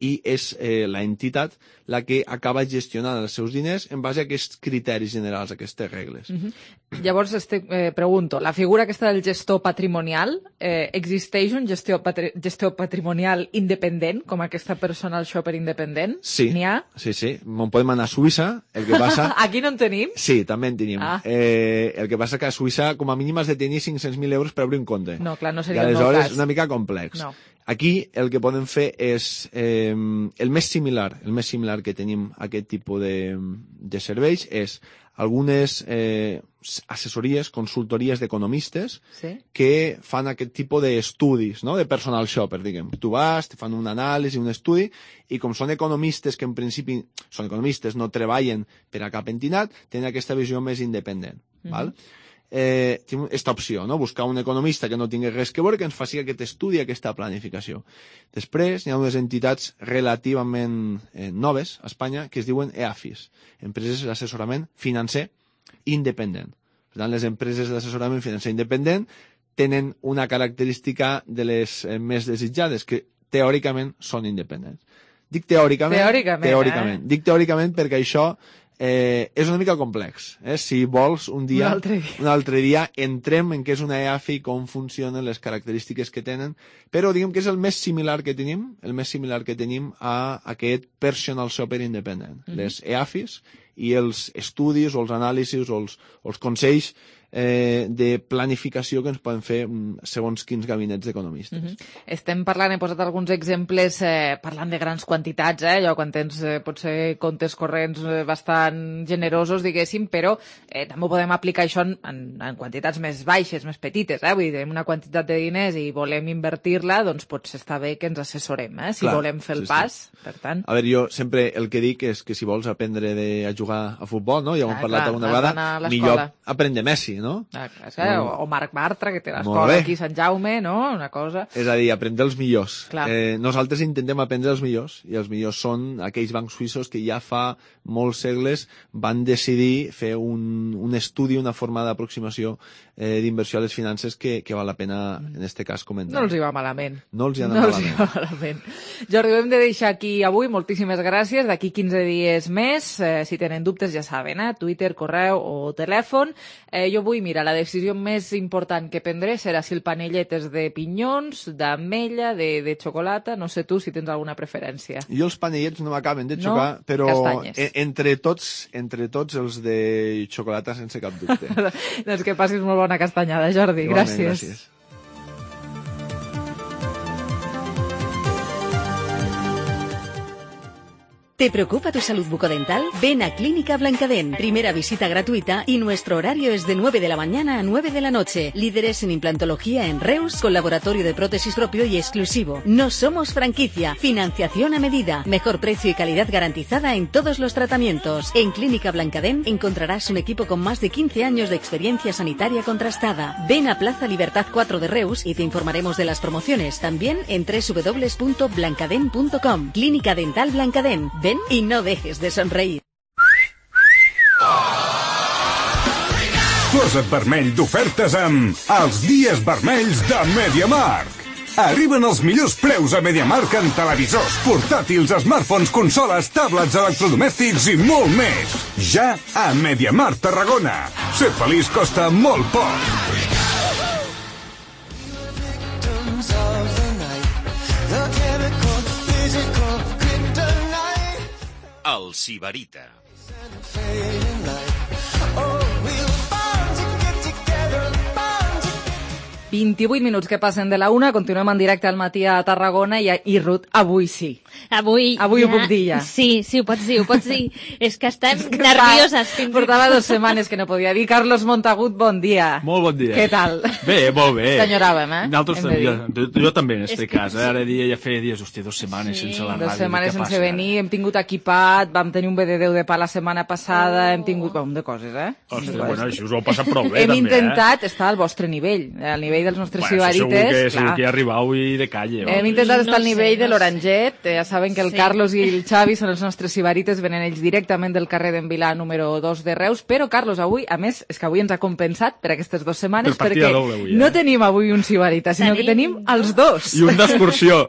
i és eh, la entitat la que acaba gestionant els seus diners en base a aquests criteris generals, a aquestes regles. Uh-huh. Llavors, este, eh, pregunto, la figura aquesta del gestor patrimonial, eh, existeix un gestor, patri gestor patrimonial independent, com aquesta personal shopper independent? Sí, n'hi ha? sí, sí. Me'n podem anar a Suïssa, el que passa... Aquí no en tenim? Sí, també en tenim. Ah. Eh, el que passa que a Suïssa, com a mínim, has de tenir cinc-cents mil euros per obrir un compte. No, clar, no seria el el meu cas. És una mica complex. No. Aquí el que podem fer és eh, el més similar, el més similar que tenim a aquest tipus de, de serveis és algunes eh, assessories, consultories d'economistes sí? que fan aquest tipus d'estudis, no? De personal shopper, diguem. Tu vas, te fan un anàlisi, un estudi, i com són economistes que en principi són economistes, no treballen per a cap entitat, tenen aquesta visió més independent. Mm-hmm. Val? Eh, tenim aquesta opció, no? Buscar un economista que no tingui res que veure, que ens faci aquest estudi, aquesta planificació. Després, hi ha unes entitats relativament eh, noves a Espanya que es diuen E A F I S, Empreses d'Assessorament Financer Independent. Per tant, les empreses d'assessorament financer independent tenen una característica de les eh, més desitjades, que teòricament són independents. Dic teòricament, teòricament, teòricament. Eh? Dic teòricament perquè això Eh, és una mica complex. Eh? Si vols, un dia, un altre dia, un altre dia entrem en què és una E A F I, com funcionen, les característiques que tenen, però diguem que és el més similar que tenim, el més similar que tenim a aquest personal shopper independent. Mm-hmm. Les E A F Is i els estudis o els anàlisis o els, o els consells eh, de planificació que ens poden fer segons quins gabinets d'economistes. Mm-hmm. Estem parlant, he posat alguns exemples eh, parlant de grans quantitats, eh, allò quan tens eh, potser comptes corrents eh, bastant generosos, diguéssim, però eh, també podem aplicar això en, en, en quantitats més baixes, més petites, eh? Vull dir, tenim una quantitat de diners i volem invertir-la, doncs potser està bé que ens assessorem, eh? Si Clar, volem fer el sí, pas, sí. Per tant... A veure, jo sempre el que dic és que si vols aprendre de, a jugar a futbol, no? Ja ho hem ah, parlat clar, alguna vegada, millor aprendre Messi, no? Ah, clar, no. O Marc Bartra, que té l'escola aquí a Sant Jaume, no? Una cosa... És a dir, aprendre els millors. Eh, nosaltres intentem aprendre els millors, i els millors són aquells bancs suïssos que ja fa molts segles van decidir fer un, un estudi, una forma d'aproximació eh, d'inversió a les finances que, que val la pena, en aquest cas, comentar. No els hi va malament. No els hi ha anat no malament. Els hi va malament. Jordi, ho hem de deixar aquí avui. Moltíssimes gràcies. D'aquí quinze dies més, eh, si tenen dubtes ja saben, eh? Twitter, correu o telèfon. Eh, jo vull, mira, la decisió més important que prendré serà si el panellet és de pinyons, d'ametlla, de, de xocolata. No sé tu si tens alguna preferència. Jo els panellets no m'acaben de xocar, no? Però en, entre tots entre tots els de xocolata sense cap dubte. Doncs que passis molt bona castanyada, Jordi. Igualment, gràcies. gràcies. ¿Te preocupa tu salud bucodental? Ven a Clínica Blancadén. Primera visita gratuita y nuestro horario es de nueve de la mañana a nueve de la noche. Líderes en implantología en Reus, con laboratorio de prótesis propio y exclusivo. No somos franquicia. Financiación a medida. Mejor precio y calidad garantizada en todos los tratamientos. En Clínica Blancadén encontrarás un equipo con más de quince años de experiencia sanitaria contrastada. Ven a Plaza Libertad cuatro de Reus y te informaremos de las promociones. También en doble u doble u doble u punto blancadén punto com. Clínica Dental Blancadén. Ven y no dejes de sonreír. Posa't vermell d'ofertes amb els dies vermells de MediaMarkt. Arriben els millors preus a MediaMarkt en televisors, portàtils, smartphones, consoles, tablets, electrodomèstics i molt més. Ja a MediaMarkt Tarragona. Ser feliç costa molt poc. El Sibarita. vint-i-vuit minuts que passen de la una, continuem en directe al matí a Tarragona i, i Ruth, avui sí. Avui, avui ja... ho puc dir ja. Sí, sí, ho pots dir, ho pots dir. És que estem és que nervioses. Fins Portava dues setmanes que no podia dir. Carlos Montagut, bon dia. Molt bon dia. Què tal? Bé, molt bé. T'enyoràvem, eh? Nosaltres també, jo, jo també en este cas. Eh? Ara dia ja feia dies, hòstia, dues setmanes sí. sense la ràdio. Dues setmanes sense passa? venir, hem tingut equipat, vam tenir un B D Déu de pa la setmana passada, oh. hem tingut un de coses, eh? Hòstia, bueno, això us ho heu passat prou bé, hem també, Hem intentat eh? estar al vostre nivell, al nivell dels nostres bueno, sibarites. Segur que, segur que hi arribau i de calle. Hem va. intentat estar no al nivell sé, de no l'Oranget, eh, ja saben que el sí. Carlos i el Xavi són els nostres sibarites, venen ells directament del carrer d'en Vilà número dos de Reus, però Carlos avui, a més, és que avui ens ha compensat per aquestes dues setmanes, per perquè doble, avui, eh? no tenim avui un sibarita, sinó tenim... que tenim els dos. I un d'excursió.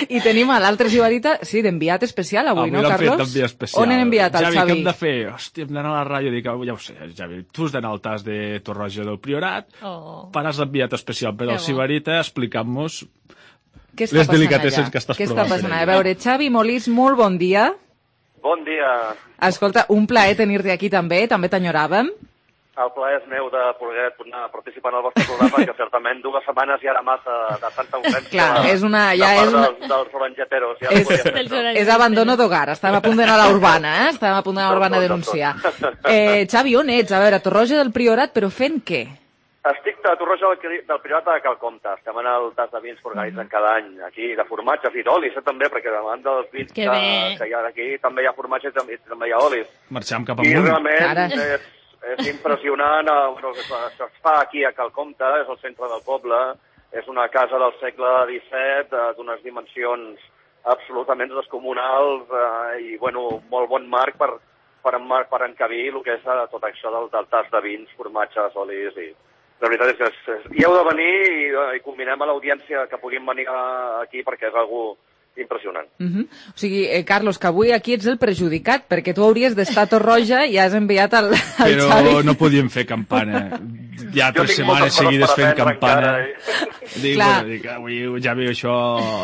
I tenim a l'altre sibarita, sí, d'enviat especial avui, avui no, Carlos? Avui especial. On hem enviat el Javi, Xavi? Javi, què hem de fer? Hòstia, hem d'anar a la ràdio, dic, ja ho sé, Javi, tu has d'anar al tas de Torroja del Priorat, oh. faràs l'enviat especial per al sibarita, explicant-nos les delicatesses que estàs Què provant. Què està passant? A veure, Xavi Molís, molt bon dia. Bon dia. Escolta, un plaer tenir-te aquí també, també t'enyoràvem. El plaer és meu de poder tornar a participar en el vostre programa, que certament dues setmanes ja era massa de tanta urgència. Clar, és una... Ja de és una... dels, dels orangeteros. Ja és, és abandono d'hogar, estàvem a punt d'anar a la urbana, eh? Estàvem a punt d'anar a la urbana a denunciar. Eh, Xavi, on ets? A veure, a Torroja del Priorat, però fent què? Estic a Torroja del, del Priorat de Calcomte. Estem en el tas de vins que organitzen cada any aquí, de formatges i d'olis, eh, també, perquè davant dels vins que, que hi ha aquí també hi ha formatges i també, també hi ha olis. Marxem cap amunt. I realment és, és impressionant. Bueno, això es fa aquí a Calcomte, és el centre del poble, és una casa del segle disset, d'unes dimensions absolutament descomunals eh, i, bueno, molt bon marc per, per, per encabir el que és tot això del, del tas de vins, formatges, olis i... La veritat és que és, és, hi heu de venir i, i combinem a l'audiència que puguin venir aquí perquè és algo impressionant. Uh -huh. O sigui, eh, Carlos, que avui aquí ets el perjudicat, perquè tu hauries d'estar a Torroja i has enviat el, el Però Xavi. Però no podíem fer campana. Ja tres setmanes seguides fent campana. Eh? Dic, bueno, dic, avui ja veu això,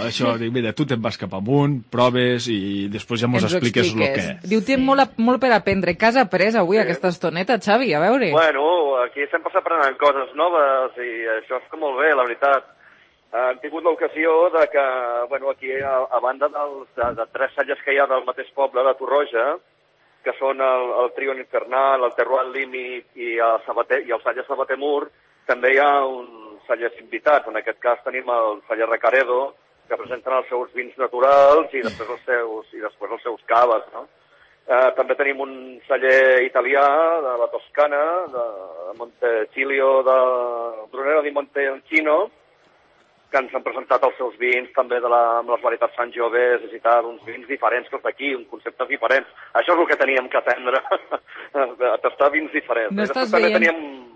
això, dic, mira, tu te'n vas cap amunt, proves i després ja mos expliques el que... Diu, té molt, molt per aprendre. Què has après avui, sí. aquesta estoneta, Xavi? A veure. Bueno, aquí sempre s'aprenen coses noves i això és molt bé, la veritat. Hem tingut l'ocasió de que, bueno, aquí, a, a banda dels, de, de tres cellers que hi ha del mateix poble de Torroja, que són el, el Trio Infernal, el Terroir Límit i el, Sabater, i el celler Sabater Mur, també hi ha uns cellers invitats. En aquest cas tenim el celler Recaredo, que presenten els seus vins naturals i després els seus, i després els seus caves, no? Eh, també tenim un celler italià de la Toscana, de Montecilio, de Brunello di Montalcino, que ens han presentat els seus vins també de la, amb les varietats Sangiovese i tal, uns vins diferents que els d'aquí, uns conceptes diferents. Això és el que teníem que aprendre, a tastar vins diferents. No estàs veient... Teníem...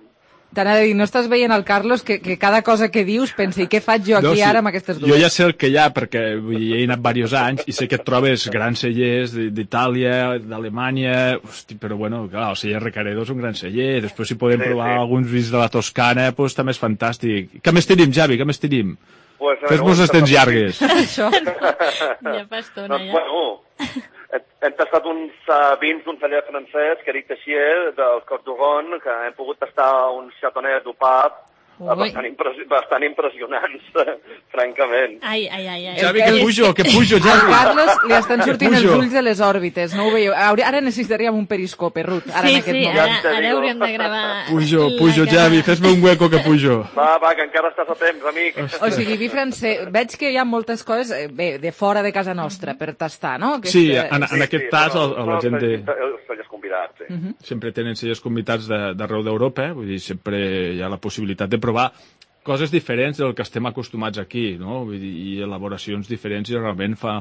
T'anava a dir, no estàs veient el Carlos que, que cada cosa que dius pensa i què faig jo aquí no, sí, ara amb aquestes dues? Jo ja sé el que hi ha, perquè vull dir, he anat diversos anys i sé que et trobes grans cellers d'Itàlia, d'Alemanya, però bueno, clar, el celler Recaredo és un gran celler, després si podem sí, provar sí. alguns vins de la Toscana, doncs també és fantàstic. Què més tenim, Javi, què més tenim? Pues, Fes-nos estens llargues. Això, ja fa estona, ja. Bueno, hem tastat uns uh, vins d'un celler francès, que Eric Teixier, del Côte d'Oron, que hem pogut tastar un Chardonnay d'Upap, bastant, impres bastant impressionants, francament. Ai, ai, ai. ai. Javi, que pujo, que pujo, Javi. Al Carlos li estan sortint els ulls de les òrbites, no ho veieu? Ara necessitaríem un periscope, Ruth, ara sí, en aquest sí, moment. ara, ara hauríem de gravar... Pujo, pujo, Javi, fes-me un hueco que pujo. Va, va, que encara estàs a temps, amic. O sigui, vi francès, veig que hi ha moltes coses, bé, de fora de casa nostra, per tastar, no? Aquest, sí, en, en sí, aquest sí, tas però, la, la gent de... Els cellers convidats, sí. Uh -huh. Sempre tenen cellers convidats d'arreu d'Europa, vull dir, sempre hi ha la possibilitat de provar coses diferents del que estem acostumats aquí, no? Vull dir, i elaboracions diferents i realment fa,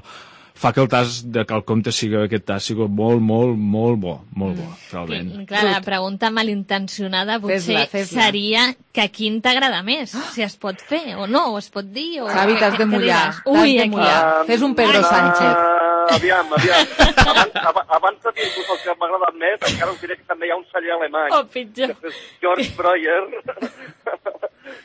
fa que el tas de Calcomte sigui, aquest tas sigui molt, molt, molt bo, molt bo, realment. I, clar, la pregunta malintencionada potser fes-la, fes-la. seria que a quin t'agrada més, si es pot fer o no, o es pot dir... O... Xavi, t'has de mullar, t'has de mullar. Uh, Fes un Pedro uh, Sánchez. Aviam, aviam. Abans, abans de dir-vos el que m'ha agradat més, encara us diré que també hi ha un celler alemany. Oh, pitjor. Que és George Breuer.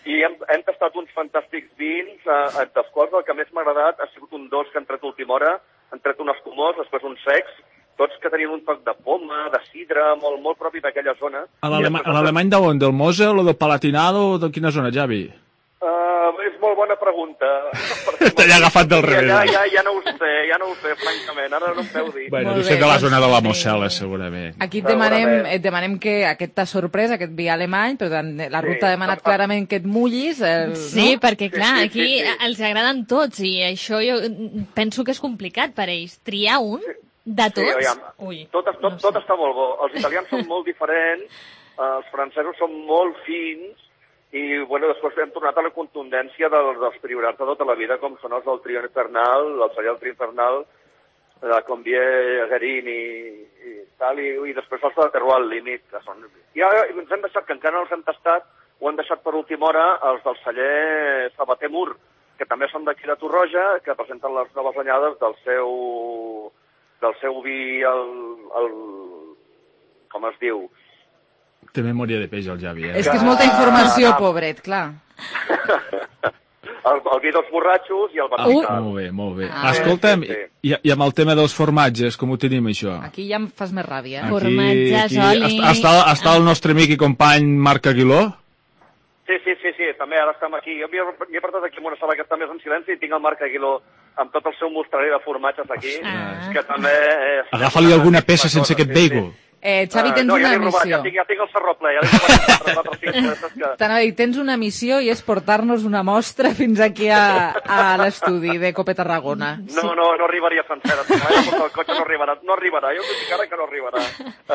I hem, hem tastat uns fantàstics vins, eh, dels quals el que més m'ha agradat ha sigut un dolç que han tret a última hora, han tret un escumós, després un secs, tots que tenien un toc de poma, de sidre, molt, molt propi d'aquella zona. A l'alemany d'on? Del Mosel o del Palatinado o de quina zona, Javi? Uh, és molt bona pregunta. T'he agafat del revés. Ja, ja, ja no ho sé, ja no ho sé, francament. Ara no em peu dir. Bueno, tu sé de la zona de la Mosel, segurament. Aquí et demanem, et demanem que aquest t'ha sorprès, aquest vi alemany, però la ruta ha demanat clarament que et mullis. El, sí, no? perquè clar, sí, sí, aquí sí, sí. els agraden tots i això jo penso que és complicat per ells. Triar un de tots? Sí, aviam, Ui, tot, tot, no sé. tot està molt bo. Els italians són molt diferents, els francesos són molt fins, i bueno, després hem tornat a la contundència dels, dels priorats de tota la vida, com són els del trio infernal, el celler del trio infernal, la Combier, Guerin i, i tal, i, i després els de Terroir Límit, que són... I ara ens hem deixat, que encara no els hem tastat, ho hem deixat per última hora, els del celler Sabater Mur, que també són d'aquí de Torroja, que presenten les noves anyades del seu, del seu vi, el, el, com es diu, Té memòria de peix, el Javi, eh? És que és molta informació, pobret, clar. El, el vi dels borratxos i el Vaticà. Molt bé, molt bé. Ah, Escolta'm, sí, i, i amb el tema dels formatges, com ho tenim, això? Aquí ja em fas més ràbia. Aquí, Formatges, aquí, oli... Està, està el nostre amic i company Marc Aguiló? Sí, sí, sí, sí, també ara estem aquí. Jo m'hi he portat aquí en una sala que està més en silenci i tinc el Marc Aguiló amb tot el seu mostrarer de formatges aquí, Ah. que també... És... Agafa-li alguna peça sense aquest beigo. Eh, Xavi, tens no, ja una l'he robat, missió. ja tinc, ja tinc el serró ple, ja l'he robat quatre, quatre, cinc peces que... T'anava a dir, tens una missió i és portar-nos una mostra fins aquí a, a l'estudi de Cope Tarragona. No, no, no arribaria sencera. Si m'he de portar el cotxe no arribarà. No arribarà, jo dic ara que no arribarà.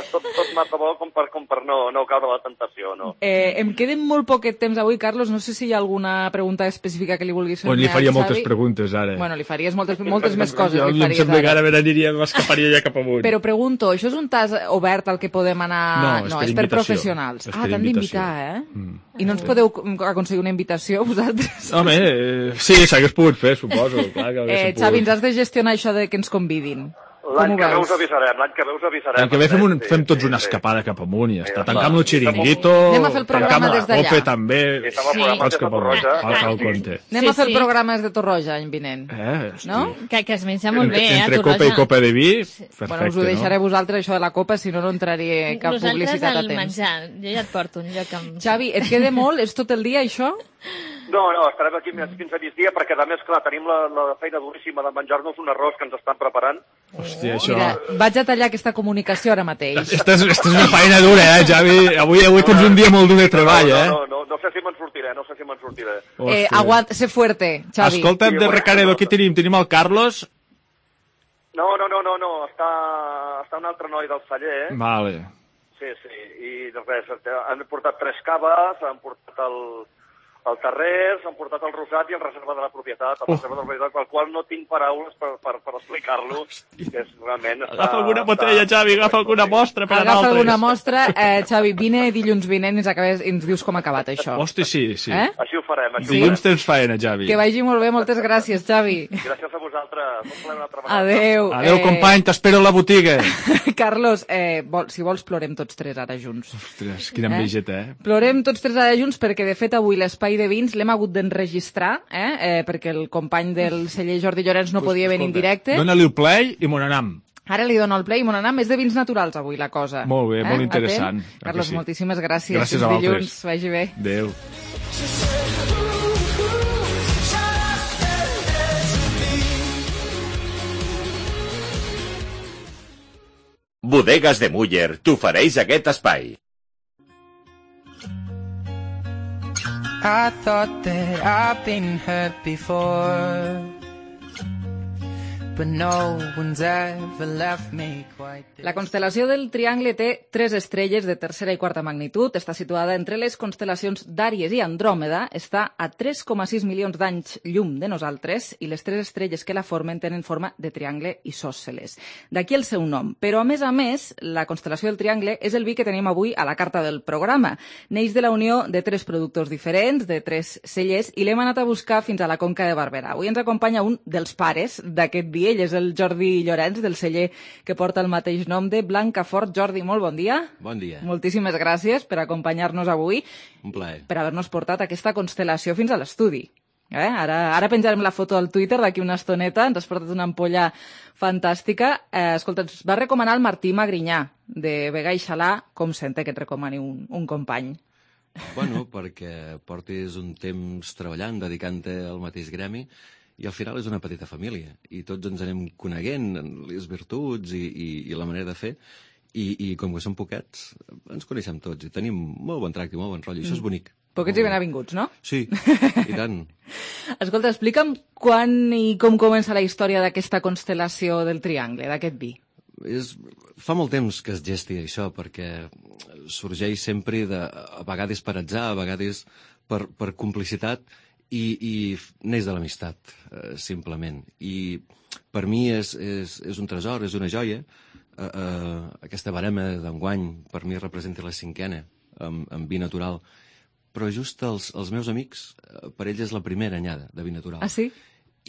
És tot, tot massa bo com per, com per no, no caure la tentació, no. Eh, em queden molt poquet temps avui, Carlos. No sé si hi ha alguna pregunta específica que li vulguis fer. Bueno, li faria moltes preguntes, ara. Bueno, li faries moltes, moltes més coses. Jo, li em faries sembla que ara. ara m'aniria, m'escaparia ja cap amunt. Però pregunto, això és un tas obert al que podem anar... No, és no per és per invitació. professionals. És Ah, per t'han invitació. d'invitar, eh? Mm. I no ens podeu aconseguir una invitació, vosaltres? Home, eh, sí, s'hagués pogut fer, suposo. Clar que Eh, Xavi, ens has de gestionar això de que ens convidin. L'any Com ho que ve veus? us avisarem, l'any que ve us avisarem. L'any que ve fem, un, Sí, fem tots sí, una sí. escapada cap amunt i ja està. Ja Tancam està. el xiringuito, Anem a fer el programa tancam la des d'allà. Cope també. Sí, fem el programa Tots des de cap amunt, Torroja. al, al compte. Anem Sí, a fer sí. el programa des de Torroja any vinent. Eh, No? Que, que es menja molt bé, entre, eh, a entre Torroja. copa i copa de vi, perfecte, Bueno, us ho deixaré no? vosaltres, això de la copa, si no, no entraria cap Nosaltres publicitat a el temps. menjar, jo ja et porto un lloc amb... Xavi, et queda molt? És tot el dia, això? No, no, estarem aquí fins a migdia perquè, a més, clar, tenim la, la feina duríssima de menjar-nos un arròs que ens estan preparant. Hòstia, això... Mira, vaig a tallar aquesta comunicació ara mateix. Esta és, esta és una feina dura, eh, Javi? Avui, avui tens un dia molt dur de treball, no, eh? no, no, no, no sé si me'n sortiré, no sé si me'n sortiré. Eh, aguant, sé fuerte, Xavi. Escolta'm, de Recaredo, qui tenim? Tenim el Carlos? No, no, no, no, no, està, està un altre noi del celler, eh? Vale. Sí, sí, i res, han portat tres caves, han portat el, el terrers, han portat el rosat i el reserva de la propietat, el reserva de la propietat, pel qual no tinc paraules per, per, per explicar-lo, que és realment... Agafa alguna botella, Xavi, agafa alguna mostra per a Agafa nosaltres. alguna mostra. Eh, Xavi, vine dilluns vinent i ens, acabes, i ens dius com ha acabat això. Hosti, sí, sí. Eh? Així ho farem, així Dilluns ho farem. tens faena, Javi. Que vagi molt bé, moltes gràcies, Xavi. Gràcies a vosaltres, un plaer una altra vegada. Adéu. Adéu, company, t'espero a la botiga. Carlos, eh, vol, si vols plorem tots tres ara junts. Ostres, quina envejeta, eh? Plorem tots tres ara junts perquè, de fet, avui l'espai de vins l'hem hagut d'enregistrar, eh? eh? perquè el company del celler Jordi Llorenç no podia venir en directe. Dóna-li el play i me n'anam. Ara li dono el play i me n'anam. És de vins naturals, avui, la cosa. Molt bé, eh? molt interessant. Atent? Clar que Carlos, sí. moltíssimes gràcies. Gràcies Fins a vosaltres. dilluns. Vagi bé. Adéu. Bodegues de Muller t'ofereix aquest espai. I thought that I've been hurt before, but no one's ever left me quite this. La constel·lació del Triangle té tres estrelles de tercera i quarta magnitud. Està situada entre les constel·lacions d'Àries i Andròmeda. Està a tres coma sis milions d'anys llum de nosaltres i les tres estrelles que la formen tenen forma de triangle isòsceles. D'aquí el seu nom. Però, a més a més, la constel·lació del Triangle és el vi que tenim avui a la carta del programa. Neix de la unió de tres productors diferents, de tres cellers, i l'hem anat a buscar fins a la Conca de Barberà. Avui ens acompanya un dels pares d'aquest vi. Ell és el Jordi Llorenç, del celler que porta el mateix nom de Blancafort. Jordi, molt bon dia. Bon dia. Moltíssimes gràcies per acompanyar-nos avui, Un plaer. per haver-nos portat aquesta constel·lació fins a l'estudi. Eh? Ara, ara penjarem la foto al Twitter d'aquí una estoneta, ens has portat una ampolla fantàstica. Eh, escolta, ens va recomanar el Martí Magrinyà, de Vega i Xalà. Com sente que et recomani un, un company? Bueno, perquè portis un temps treballant, dedicant-te al mateix gremi, i al final és una petita família, i tots ens anem coneguent, les virtuts i, i, i la manera de fer, i, i com que som poquets, ens coneixem tots, i tenim molt bon tracte i molt bon rotllo, i això és bonic. Poquets i ben avinguts, no? Sí, i tant. Escolta, explica'm quan i com comença la història d'aquesta constel·lació del Triangle, d'aquest vi. És, fa molt temps que es gesti això, perquè sorgeix sempre de, a vegades per atzar, a vegades per, per complicitat, i, i neix de l'amistat, eh, simplement. I per mi és, és, és un tresor, és una joia. Eh, eh, aquesta barema d'enguany per mi representa la cinquena, amb, amb vi natural. Però just els, els meus amics, per ells és la primera anyada de vi natural. Ah, sí?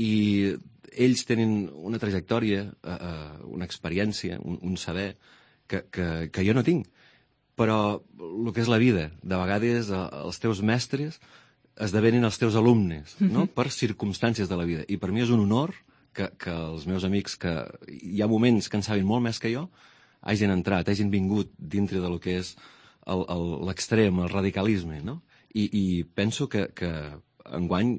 I ells tenen una trajectòria, uh, una experiència, un, un saber que, que, que jo no tinc. Però el que és la vida, de vegades uh, els teus mestres esdevenen els teus alumnes, no? Mm-hmm. Per circumstàncies de la vida. I per mi és un honor que, que els meus amics, que hi ha moments que en saben molt més que jo, hagin entrat, hagin vingut dintre de lo que és l'extrem, el, el radicalisme, no? I, i penso que, que enguany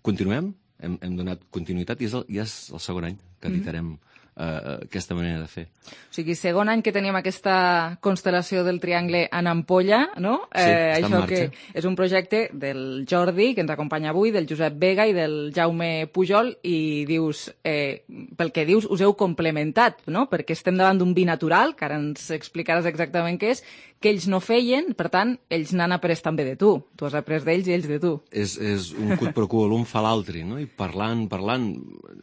continuem, hem, hem donat continuïtat, i és el, ja és el segon any que editarem uh, aquesta manera de fer. O sigui, segon any que teníem aquesta constel·lació del Triangle en ampolla, no? Sí, eh, està en això marxa. Que és un projecte del Jordi, que ens acompanya avui, del Josep Vega i del Jaume Pujol, i dius, eh, pel que dius, us heu complementat, no? Perquè estem davant d'un vi natural, que ara ens explicaràs exactament què és, que ells no feien, per tant, ells n'han après també de tu. Tu has après d'ells i ells de tu. És, és un cut pro quo, l'un fa l'altre, no? I parlant, parlant,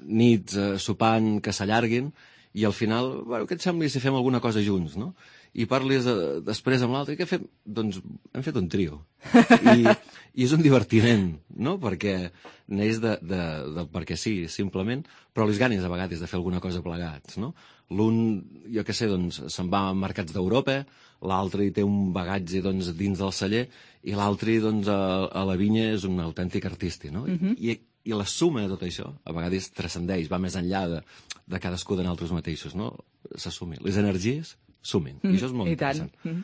nits, eh, sopant, que s'allarguin, i al final, bueno, què et sembla si fem alguna cosa junts, no? I parlis eh, després amb l'altre, i què fem? Doncs hem fet un trio. I, i és un divertiment, no? Perquè neix de, de, de perquè sí, simplement, però les ganes a vegades de fer alguna cosa plegats, no? L'un, jo què sé, doncs, se'n va a mercats d'Europa, l'altre hi té un bagatge doncs, dins del celler, i l'altre doncs, a, a la vinya és un autèntic artista, no? Mhm. I, I la suma de tot això, a vegades transcendeix, va més enllà de, de cadascú de nosaltres mateixos, no? S'assumi. Les energies sumen, i això és molt I interessant. tant.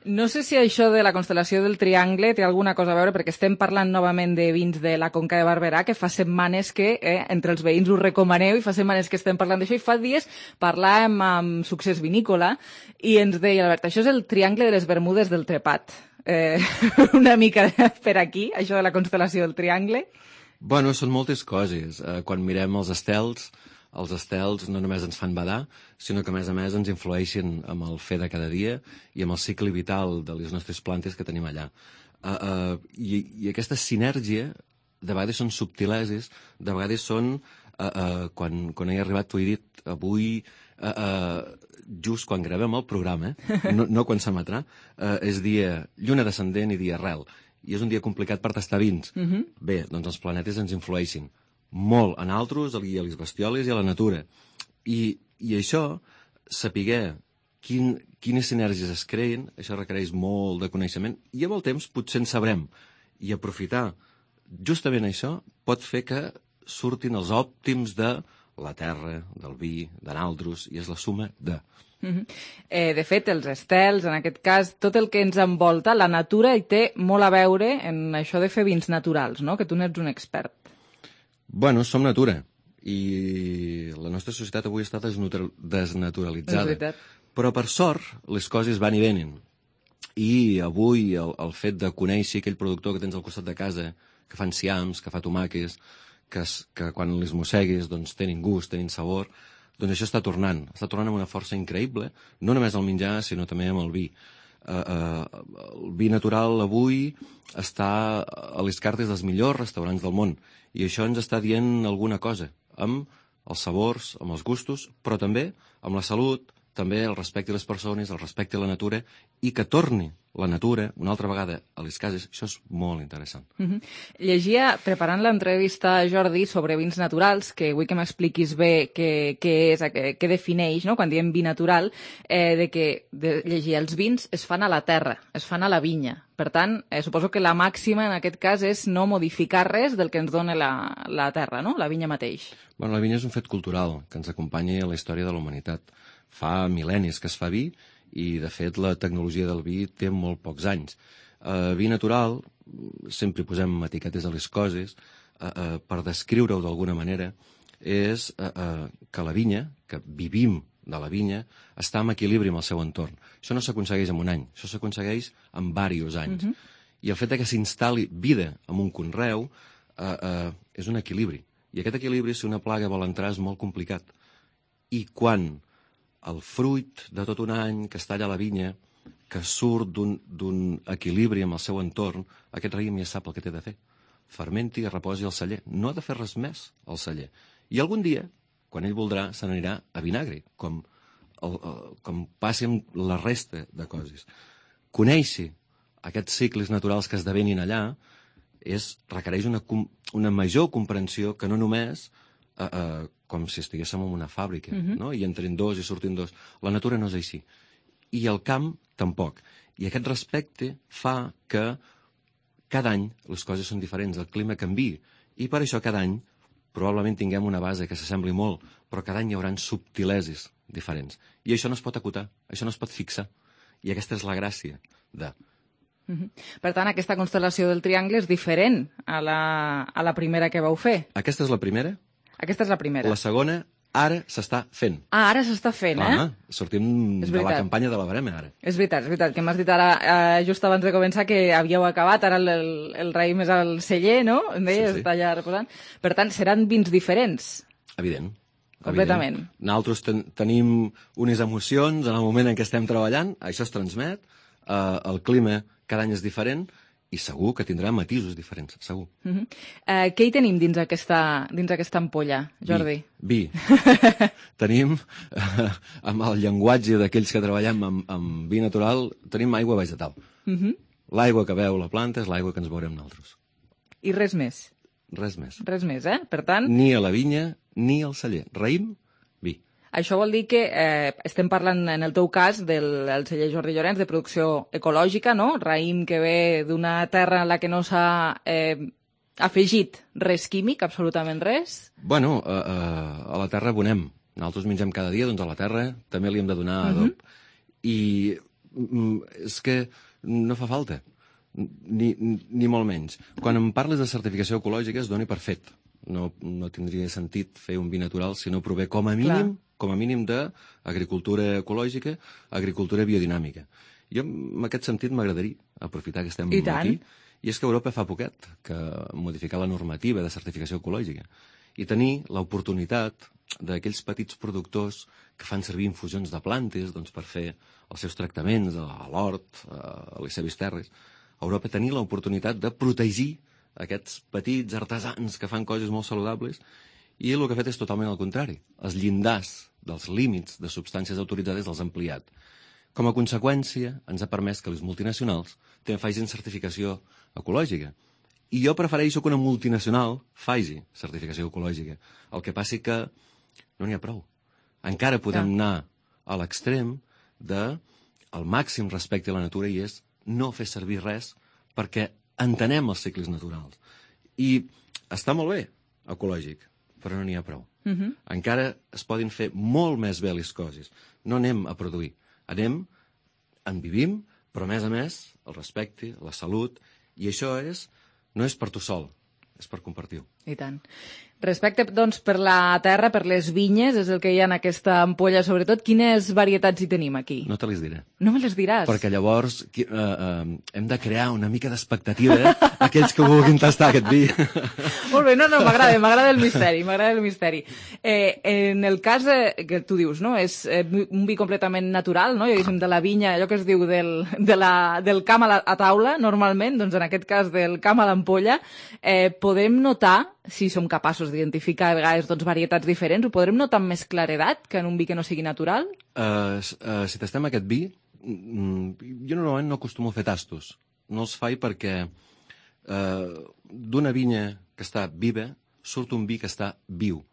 No sé si això de la constel·lació del Triangle té alguna cosa a veure, perquè estem parlant novament de vins de la Conca de Barberà, que fa setmanes que eh, entre els veïns us recomaneu, i fa setmanes que estem parlant d'això, i fa dies parlàvem amb Succés Vinícola, i ens deia, Albert, això és el Triangle de les Bermudes del Trepat. Eh, una mica per aquí, això de la constel·lació del Triangle. Bueno, són moltes coses. Eh, quan mirem els estels, els estels no només ens fan badar, sinó que a més a més ens influeixen amb el fer de cada dia i amb el cicle vital de les nostres plantes que tenim allà. Uh, uh, i, I aquesta sinergia de vegades són subtileses, de vegades són, uh, uh, quan, quan he arribat t'ho he dit avui, uh, uh, just quan gravem el programa, eh? no, no quan s'emetrà, uh, és dia lluna descendent i dia arrel, i és un dia complicat per tastar vins. Mhm. Bé, doncs els planetes ens influeixen molt a nosaltres, i a les bestioles i a la natura. I, i això, saber quin, quines sinergies es creen, això requereix molt de coneixement, i amb el temps potser en sabrem. I aprofitar justament això pot fer que surtin els òptims de la terra, del vi, de nosaltres, i és la suma de... Mhm. Eh, de fet, els estels, en aquest cas, tot el que ens envolta, la natura hi té molt a veure en això de fer vins naturals, no? Que tu n'ets un expert. Bueno, som natura, i la nostra societat avui està desnatura desnaturalitzada. És veritat. Però, per sort, les coses van i venen. I avui el, el fet de conèixer aquell productor que tens al costat de casa, que fa enciams, que fa tomàquets, que, es, que quan les mossegues doncs, tenen gust, tenen sabor, doncs això està tornant. Està tornant amb una força increïble, no només al menjar, sinó també amb el vi. Uh, uh, el vi natural avui està a les cartes dels millors restaurants del món, i això ens està dient alguna cosa amb els sabors, amb els gustos, però també amb la salut, també el respecte a les persones, el respecte a la natura, i que torni la natura una altra vegada a les cases. Això és molt interessant. Uh-huh. Llegia, preparant l'entrevista a Jordi sobre vins naturals, que vull que m'expliquis bé què, què és, què, què defineix, no?, quan diem vi natural, eh, de que de, llegia, els vins es fan a la terra, es fan a la vinya. Per tant, eh, suposo que la màxima en aquest cas és no modificar res del que ens dona la, la terra, no?, la vinya mateix. Bueno, la vinya és un fet cultural que ens acompanya a la història de la humanitat. Fa mil·lennis que es fa vi, i, de fet, la tecnologia del vi té molt pocs anys. Uh, vi natural, sempre posem etiquetes a les coses, uh, uh, per descriure-ho d'alguna manera, és uh, uh, que la vinya, que vivim de la vinya, està en equilibri amb el seu entorn. Això no s'aconsegueix en un any, això s'aconsegueix en diversos anys. Uh-huh. I el fet que s'instal·li vida en un conreu uh, uh, és un equilibri. I aquest equilibri, si una plaga vol entrar, és molt complicat. I quan el fruit de tot un any que està allà a la vinya, que surt d'un equilibri amb el seu entorn, aquest raïm ja sap el que té de fer. Fermenti i reposi al celler. No ha de fer res més al celler. I algun dia, quan ell voldrà, se n'anirà a vinagre, com, el, el, com passi amb la resta de coses. Conèixer aquests cicles naturals que esdevenin allà és, requereix una, una major comprensió que no només eh, eh, com si estiguéssim en una fàbrica, uh-huh. no? I entren dos i surtin dos. La natura no és així. I el camp tampoc. I aquest respecte fa que cada any les coses són diferents, el clima canvia. I per això cada any probablement tinguem una base que s'assembli molt, però cada any hi haurà subtileses diferents. I això no es pot acotar, això no es pot fixar. I aquesta és la gràcia de... Uh-huh. Per tant, aquesta constel·lació del triangle és diferent a la, a la primera que vau fer. Aquesta és la primera? Aquesta és la primera. La segona, ara s'està fent. Ah, ara s'està fent, eh? Ah, sortim de la campanya de la Barema, ara. És veritat, és veritat, que m'has dit ara, eh, just abans de començar, que havíeu acabat, ara el, el, el raïm és al celler, no? Em deies, sí, sí. Està allà reposant. Per tant, seran vins diferents. Evident. Completament. Evident. Nosaltres ten tenim unes emocions en el moment en què estem treballant, això es transmet, eh, el clima cada any és diferent, i segur que tindrà matisos diferents, segur. Uh-huh. uh, què hi tenim dins aquesta, dins aquesta ampolla, Jordi? Vi. vi. Tenim, uh, amb el llenguatge d'aquells que treballem amb, amb vi natural, tenim aigua vegetal. Uh-huh. L'aigua que veu la planta és l'aigua que ens veurem nosaltres. I res més? Res més. Res més, eh? Per tant... Ni a la vinya, ni al celler. Raïm, vi. Això vol dir que eh, estem parlant, en el teu cas, del celler Jordi Llorenç, de producció ecològica, no? Raïm que ve d'una terra en la que no s'ha eh, afegit res químic, absolutament res? Bueno, a, a, a la terra abonem. Nosaltres mengem cada dia, doncs a la terra també li hem de donar adob. Uh-huh. I mm, és que no fa falta, ni, ni molt menys. Quan em parles de certificació ecològica es doni per fet. No, no tindria sentit fer un vi natural si no prové com a mínim, Clar. com a mínim d'agricultura ecològica, agricultura biodinàmica. Jo, en aquest sentit, m'agradaria aprofitar que estem I aquí, i és que Europa fa poquet que modificar la normativa de certificació ecològica i tenir l'oportunitat d'aquells petits productors que fan servir infusions de plantes doncs, per fer els seus tractaments a l'hort, a les seves terres. A Europa tenir l'oportunitat de protegir aquests petits artesans que fan coses molt saludables, i el que ha fet és totalment el contrari. Els llindars dels límits de substàncies autoritzades els ha ampliat. Com a conseqüència, ens ha permès que les multinacionals també facin certificació ecològica. I jo prefereixo que una multinacional faci certificació ecològica. El que passi que no n'hi ha prou. Encara podem ja. anar a l'extrem de el màxim respecte a la natura, i és no fer servir res perquè entenem els cicles naturals. I està molt bé, ecològic, però no n'hi ha prou. Uh-huh. Encara es poden fer molt més bé les coses. No anem a produir. Anem, en vivim, però a més a més, el respecte, la salut, i això és, no és per tu sol, és per compartir-ho. I tant. Respecte, doncs, per la terra, per les vinyes, és el que hi ha en aquesta ampolla, sobretot. Quines varietats hi tenim aquí? No te les diré. No me les diràs? Perquè llavors eh, eh, hem de crear una mica d'expectativa eh? aquells que vulguin tastar aquest vi. Molt bé, no, no, m'agrada, m'agrada el misteri, m'agrada el misteri. Eh, en el cas eh, que tu dius, no?, és eh, un vi completament natural, no?, diguéssim, de la vinya, allò que es diu del, de la, del camp a, la, a taula, normalment, doncs en aquest cas del camp a l'ampolla, eh, podem notar si som capaços d'identificar a vegades doncs, varietats diferents, ho podrem notar amb més claredat que en un vi que no sigui natural? Uh, uh, si tastem aquest vi, jo normalment no acostumo a fer tastos. No els faig perquè uh, d'una vinya que està viva surt un vi que està viu.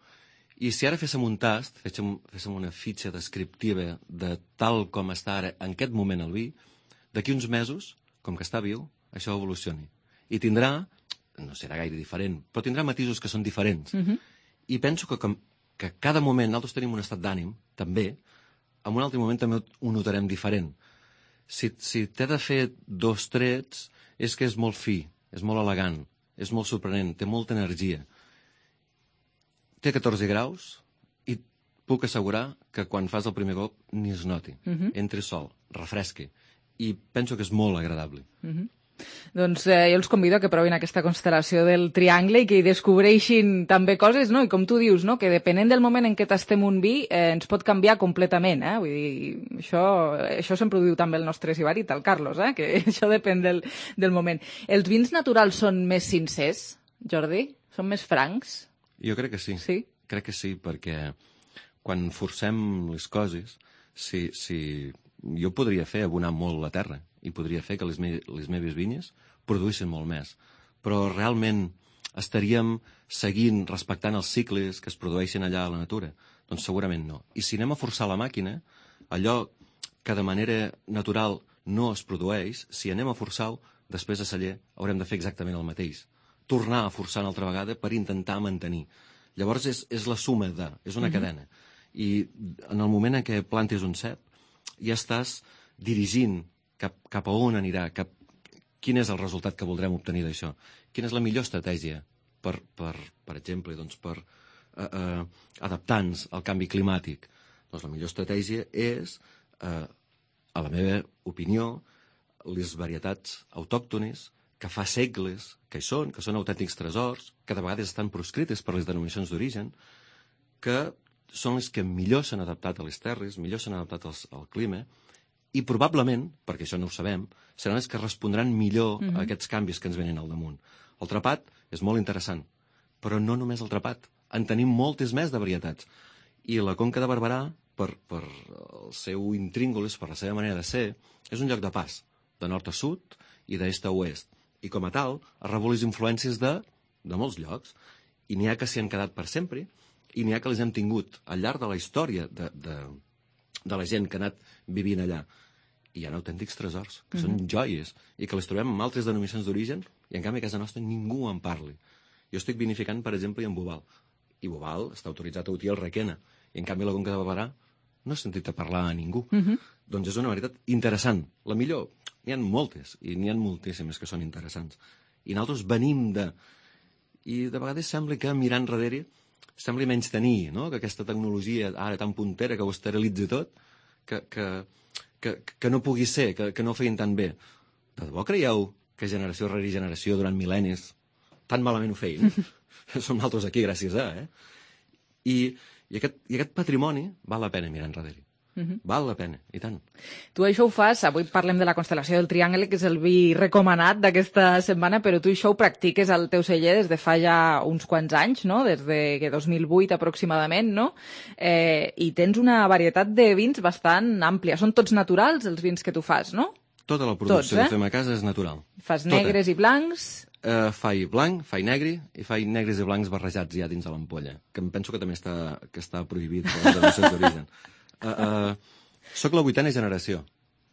I si ara féssim un tast, féssim, féssim una fitxa descriptiva de tal com està ara en aquest moment el vi, d'aquí uns mesos, com que està viu, això evolucioni. I tindrà, no serà gaire diferent, però tindrà matisos que són diferents. Uh-huh. I penso que, com, que cada moment nosaltres tenim un estat d'ànim, també, en un altre moment també ho notarem diferent. Si, si t'he de fer dos trets, és que és molt fi, és molt elegant, és molt sorprenent, té molta energia. Té catorze graus i puc assegurar que quan fas el primer cop ni es noti. Uh-huh. Entri sol, refresqui. I penso que és molt agradable. Uh-huh. Doncs eh, jo els convido a que provin aquesta constel·lació del triangle i que hi descobreixin també coses, no? I com tu dius, no? Que depenent del moment en què tastem un vi eh, ens pot canviar completament, eh? Vull dir, això, això sempre ho diu també el nostre sibarit, el Carlos, eh? Que això depèn del, del moment. Els vins naturals són més sincers, Jordi? Són més francs? Jo crec que sí. Sí? Crec que sí, perquè quan forcem les coses, si, si... jo podria fer abonar molt la terra i podria fer que les, me les meves vinyes produïssin molt més. Però realment estaríem seguint, respectant els cicles que es produeixen allà a la natura? Doncs segurament no. I si anem a forçar la màquina, allò que de manera natural no es produeix, si anem a forçar-ho, després a celler haurem de fer exactament el mateix. Tornar a forçar una altra vegada per intentar mantenir. Llavors és, és la suma de, és una uh-huh. cadena. I en el moment en què plantes un cep, ja estàs dirigint cap, cap a on anirà, cap, quin és el resultat que voldrem obtenir d'això. Quina és la millor estratègia per, per, per exemple, doncs per uh, uh, adaptar-nos al canvi climàtic? Doncs la millor estratègia és, uh, a la meva opinió, les varietats autòctones que fa segles que hi són, que són autèntics tresors, que de vegades estan proscrites per les denominacions d'origen, que són les que millor s'han adaptat a les terres, millor s'han adaptat als, al clima, i probablement, perquè això no ho sabem, seran les que respondran millor uh-huh. a aquests canvis que ens venen al damunt. El trapat és molt interessant, però no només el trapat. En tenim moltes més de varietats. I la Conca de Barberà, per, per el seu intríngulis, per la seva manera de ser, és un lloc de pas, de nord a sud i d'est a oest. I com a tal, ha rebut les influències de, de molts llocs. I n'hi ha que s'hi han quedat per sempre, i n'hi ha que les hem tingut al llarg de la història de, de, de la gent que ha anat vivint allà. I hi ha autèntics tresors, que mm-hmm. són joies, i que les trobem en altres denominacions d'origen, i en canvi a casa nostra ningú en parli. Jo estic vinificant, per exemple, en Bobal, i Bobal està autoritzat a utir el Requena, i en canvi la Conca de Barberà no he sentit a parlar a ningú. Mm-hmm. Doncs és una varietat interessant. La millor, n'hi ha moltes, i n'hi ha moltíssimes que són interessants. I nosaltres venim de... I de vegades sembla que mirant darrere sembla menys tenir, no? Que aquesta tecnologia ara tan puntera que ho esterilitza tot, que, que, que, que no pugui ser, que, que no ho feien tan bé. De debò creieu que generació rere generació durant mil·lennis tan malament ho feien? Som nosaltres aquí gràcies a, eh? I, i, aquest, i aquest patrimoni val la pena mirar enrere. Uh-huh. Val la pena, i tant. Tu això ho fas, avui parlem de la constel·lació del Triangle, que és el vi recomanat d'aquesta setmana, però tu això ho practiques al teu celler des de fa ja uns quants anys, no? Des de dos mil vuit aproximadament, no? Eh, I tens una varietat de vins bastant àmplia. Són tots naturals, els vins que tu fas, no? Tota la producció tots, eh? que fem a casa és natural. Fas Tota. negres i blancs? Uh, faig blanc, faig negre i faig negres i blancs barrejats ja dins de l'ampolla, que em penso que també està, que està prohibit per les denominacions d'origen. Uh, uh, soc la vuitena generació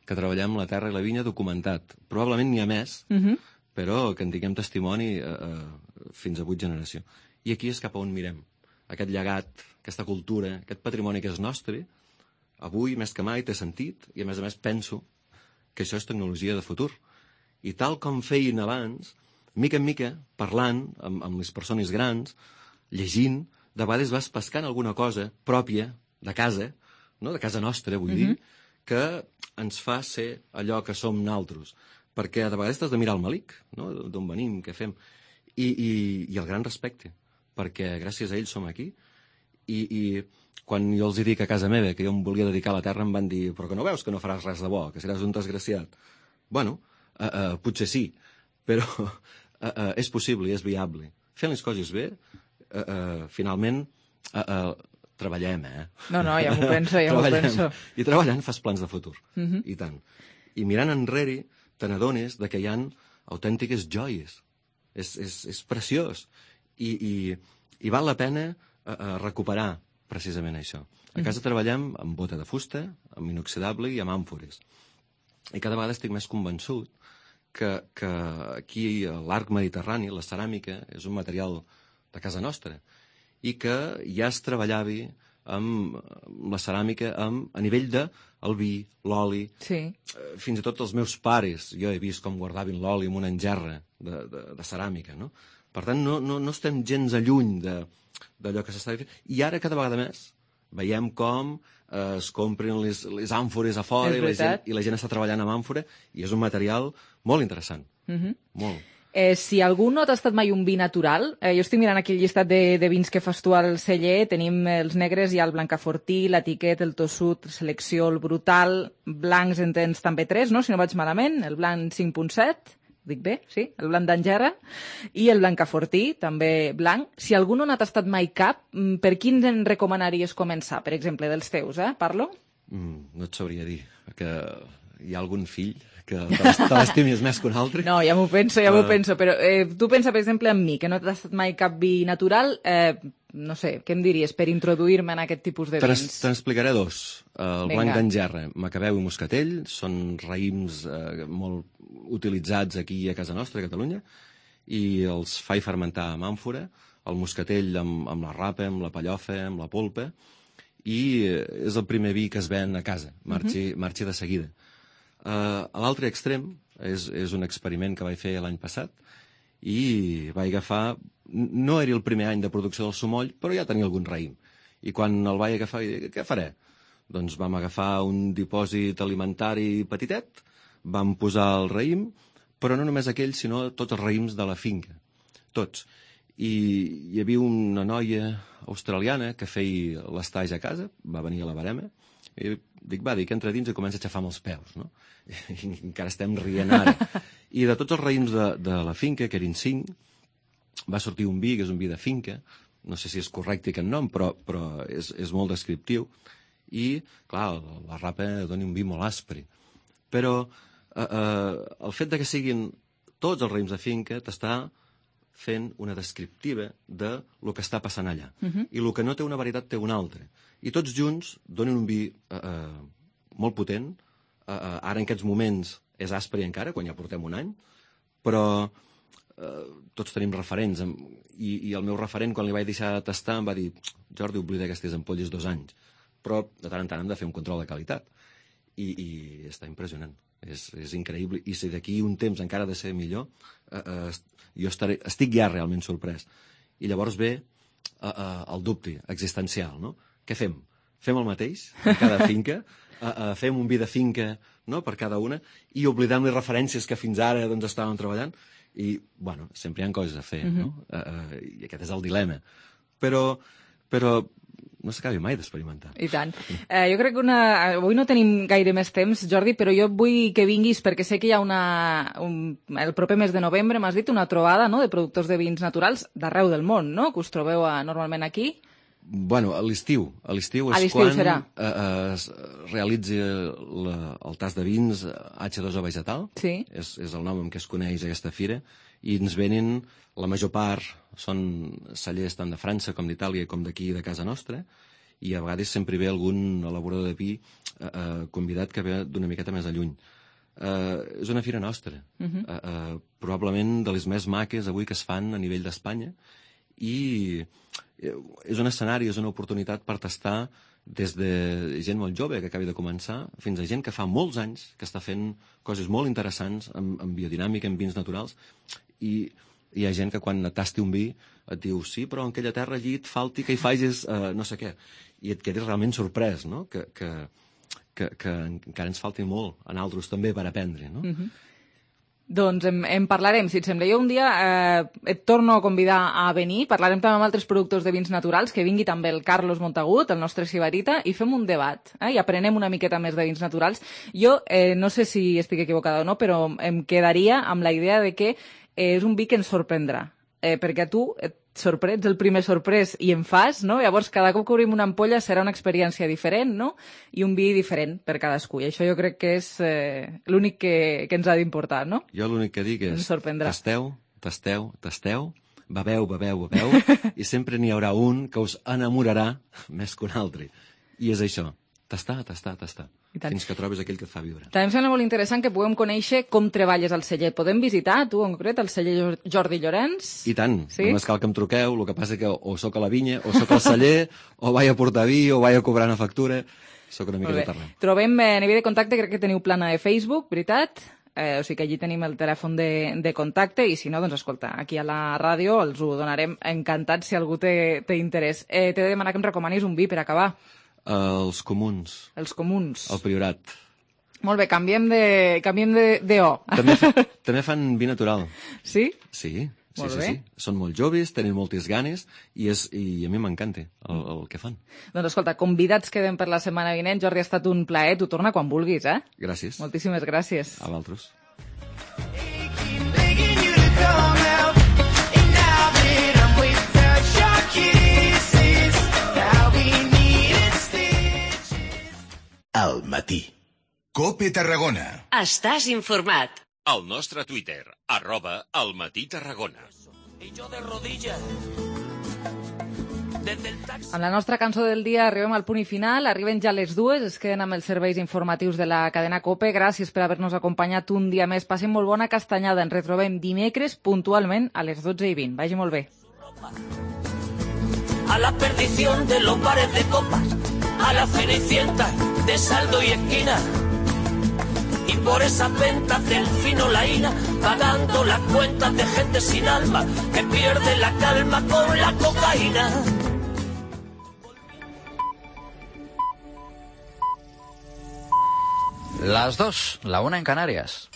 que treballem la terra i la vinya documentat. Probablement n'hi ha més, uh-huh. però que en tinguem testimoni uh, uh, fins a vuit generació. I aquí és cap a on mirem. Aquest llegat, aquesta cultura, aquest patrimoni que és nostre, avui més que mai té sentit, i a més a més penso que això és tecnologia de futur. I tal com feien abans, mica en mica, parlant amb, amb les persones grans, llegint, de vegades vas pescant alguna cosa pròpia de casa, no? De casa nostra, vull uh-huh. dir, que ens fa ser allò que som naltros. Perquè de vegades t'has de mirar el malic, no? D'on venim, què fem. I, i, i el gran respecte, perquè gràcies a ells som aquí. I, i quan jo els dic a casa meva que jo em volia dedicar a la terra, em van dir, però que no veus que no faràs res de bo, que seràs un desgraciat. Bueno, uh, uh, potser sí, però uh, uh, és possible i és viable. fent les coses bé, eh, eh, finalment eh, eh, treballem, eh? No, no, ja m'ho penso, ja m'ho penso. I treballant fas plans de futur, Mhm. i tant. I mirant enrere te n'adones que hi ha autèntiques joies. És, és, és preciós. I, i, i val la pena eh, eh, recuperar precisament això. A casa treballem amb bota de fusta, amb inoxidable i amb àmfores. I cada vegada estic més convençut que, que aquí a l'arc mediterrani la ceràmica és un material de casa nostra i que ja es treballava amb la ceràmica amb, a nivell de el vi, l'oli. Sí. Fins i tot els meus pares, jo he vist com guardaven l'oli en una engerra de, de, de ceràmica, no? Per tant, no, no, no estem gens alluny d'allò que s'està fent. I ara, cada vegada més, veiem com eh, es compren les, les àmfores a fora i la, gent, i la gent està treballant amb àmfora i és un material molt interessant. Mhm. Molt. Eh, si algú no t'ha estat mai un vi natural, eh, jo estic mirant aquí el llistat de, de vins que fas tu al celler, tenim els negres, hi ha el Blancafortí, l'Etiquet, el Tossut, Selecció, el Brutal, blancs en tens també tres, no?, si no vaig malament, el blanc cinc punt set, dic bé, sí, el blanc d'Angera, i el Blancafortí, també blanc. Si algú no n'ha tastat mai cap, per quins en recomanaries començar, per exemple, dels teus, eh? Parlo? Mm, no et sabria dir, que hi ha algun fill que te l'estimis més que un altre. No, ja m'ho penso, ja m'ho Uh, penso, però eh, tu pensa, per exemple, en mi, que no t'has tastat mai cap vi natural, eh, no sé, què em diries per introduir-me en aquest tipus de Te vins? n'es- te n'explicaré dos. El Vinga. blanc d'Angerra, Macabeu i Moscatell, són raïms eh, molt utilitzats aquí a casa nostra, a Catalunya, i els faig fermentar amb àmfora, el moscatell amb, amb la rapa, amb la pallofa, amb la polpa, i eh, és el primer vi que es ven a casa, marxi, Mhm. marxi de seguida. Uh, a l'altre extrem, és, és un experiment que vaig fer l'any passat, i vaig agafar... No era el primer any de producció del sumoll, però ja tenia algun raïm. I quan el vaig agafar, vaig dir, què faré? Doncs vam agafar un dipòsit alimentari petitet, vam posar el raïm, però no només aquell, sinó tots els raïms de la finca. Tots. I hi havia una noia australiana que feia l'estage a casa, va venir a la barema, i dic, va, dic, entra dins i comença a aixafar amb els peus, no? I encara estem rient ara. I de tots els raïms de, de la finca, que eren cinc, va sortir un vi, que és un vi de finca, no sé si és correcte aquest nom, però, però és, és molt descriptiu, i, clar, la rapa dona un vi molt aspre. Però eh, eh, el fet de que siguin tots els raïms de finca t'està fent una descriptiva de lo que està passant allà. Mhm. I el que no té una varietat té una altra. I tots junts donen un vi eh, eh, molt potent. Eh, eh, ara, en aquests moments, és aspre encara, quan ja portem un any, però eh, tots tenim referents. em- I, I el meu referent, quan li vaig deixar de tastar, em va dir, Jordi, oblida aquestes ampolles dos anys. Però de tant en tant hem de fer un control de qualitat. I, i està impressionant. És, és increïble. I si d'aquí un temps encara ha de ser millor, eh, eh, jo estaré, estic ja realment sorprès. I llavors ve eh, eh, el dubte existencial, no? Què fem? Fem el mateix en cada finca? Eh, eh, fem un vi de finca, no?, per cada una, i oblidem les referències que fins ara doncs, estàvem treballant? I, bueno, sempre hi ha coses a fer, no? Eh, eh, I aquest és el dilema. Però, però no s'acabi mai d'experimentar. I tant. Eh, jo crec que una... avui no tenim gaire més temps, Jordi, però jo vull que vinguis perquè sé que hi ha una... Un... el proper mes de novembre, m'has dit, una trobada, no?, de productors de vins naturals d'arreu del món, no?, que us trobeu a, normalment aquí. Bueno, a l'estiu. A l'estiu A és l'estiu quan serà. eh, eh, es realitza la, el tas de vins hache dos o vegetal. Sí. És, és el nom amb què es coneix aquesta fira. I ens venen, la major part, són cellers tant de França com d'Itàlia com d'aquí de casa nostra, i a vegades sempre ve algun elaborador de vi eh, eh, convidat que ve d'una miqueta més a lluny. Eh, és una fira nostra, Mhm. eh, eh, probablement de les més maques avui que es fan a nivell d'Espanya, i eh, és un escenari, és una oportunitat per tastar des de gent molt jove que acabi de començar fins a gent que fa molts anys que està fent coses molt interessants en, en biodinàmica, en vins naturals, i hi ha gent que quan tasti un vi et diu, sí, però en aquella terra allí et falti que hi facis eh, no sé què, i et quedes realment sorprès, no?, que, que, que, que encara ens falti molt a nosaltres també per aprendre, no? Mhm. Doncs en, en parlarem, si et sembla. Jo un dia eh, et torno a convidar a venir, parlarem també amb altres productors de vins naturals, que vingui també el Carlos Montagut, el nostre sibarita, i fem un debat, eh, i aprenem una miqueta més de vins naturals. Jo eh, no sé si estic equivocada o no, però em quedaria amb la idea de que eh, és un vi que ens sorprendrà. eh, perquè tu et sorprens, el primer sorprès i en fas, no? Llavors, cada cop que obrim una ampolla serà una experiència diferent, no? I un vi diferent per cadascú. I això jo crec que és eh, l'únic que, que ens ha d'importar, no? Jo l'únic que dic és tasteu, tasteu, tasteu, beveu, beveu, beveu, i sempre n'hi haurà un que us enamorarà més que un altre. I és això, tastar, tastar, tastar. Fins que trobes aquell que et fa viure. També em sembla molt interessant que puguem conèixer com treballes al celler. Podem visitar, tu en concret, el celler Jordi Llorenç? I tant, sí? Només cal que em truqueu, el que passa que o sóc a la vinya, o sóc al celler, o vaig a portar vi, o vaig a cobrar una factura. Sóc una mica de parlant. Trobem eh, a nivell de contacte, crec que teniu plana de Facebook, veritat? Eh, o sigui que allí tenim el telèfon de, de contacte i si no, doncs escolta, aquí a la ràdio els ho donarem encantats si algú té, té interès. Eh, T'he de demanar que em recomanis un vi per acabar. Uh, els comuns. Els comuns. El Priorat. Molt bé, canviem de, canviem de, de O. També, fa, també fan vi natural. Sí? Sí, sí, molt sí, bé. sí. Són molt joves, tenen moltes ganes i, és, i a mi m'encanta el, el que fan. Doncs escolta, convidats queden per la setmana vinent. Jordi, ha estat un plaer. Tu torna quan vulguis, eh? Gràcies. Moltíssimes gràcies. A vosaltres. Al matí. Cope Tarragona. Estàs informat. El nostre Twitter, arroba al matí Tarragona. Amb la nostra cançó del dia arribem al punt i final, arriben ja les dues, es queden amb els serveis informatius de la cadena COPE. Gràcies per haver-nos acompanyat un dia més. Passin molt bona castanyada. Ens retrobem dimecres puntualment a les dotze i vint. Vagi molt bé. A la perdición de los bares de copas, a la cenicienta de saldo y esquina, y por esas ventas del fino laína, pagando las cuentas de gente sin alma que pierde la calma con la cocaína. Las dos, la una en Canarias.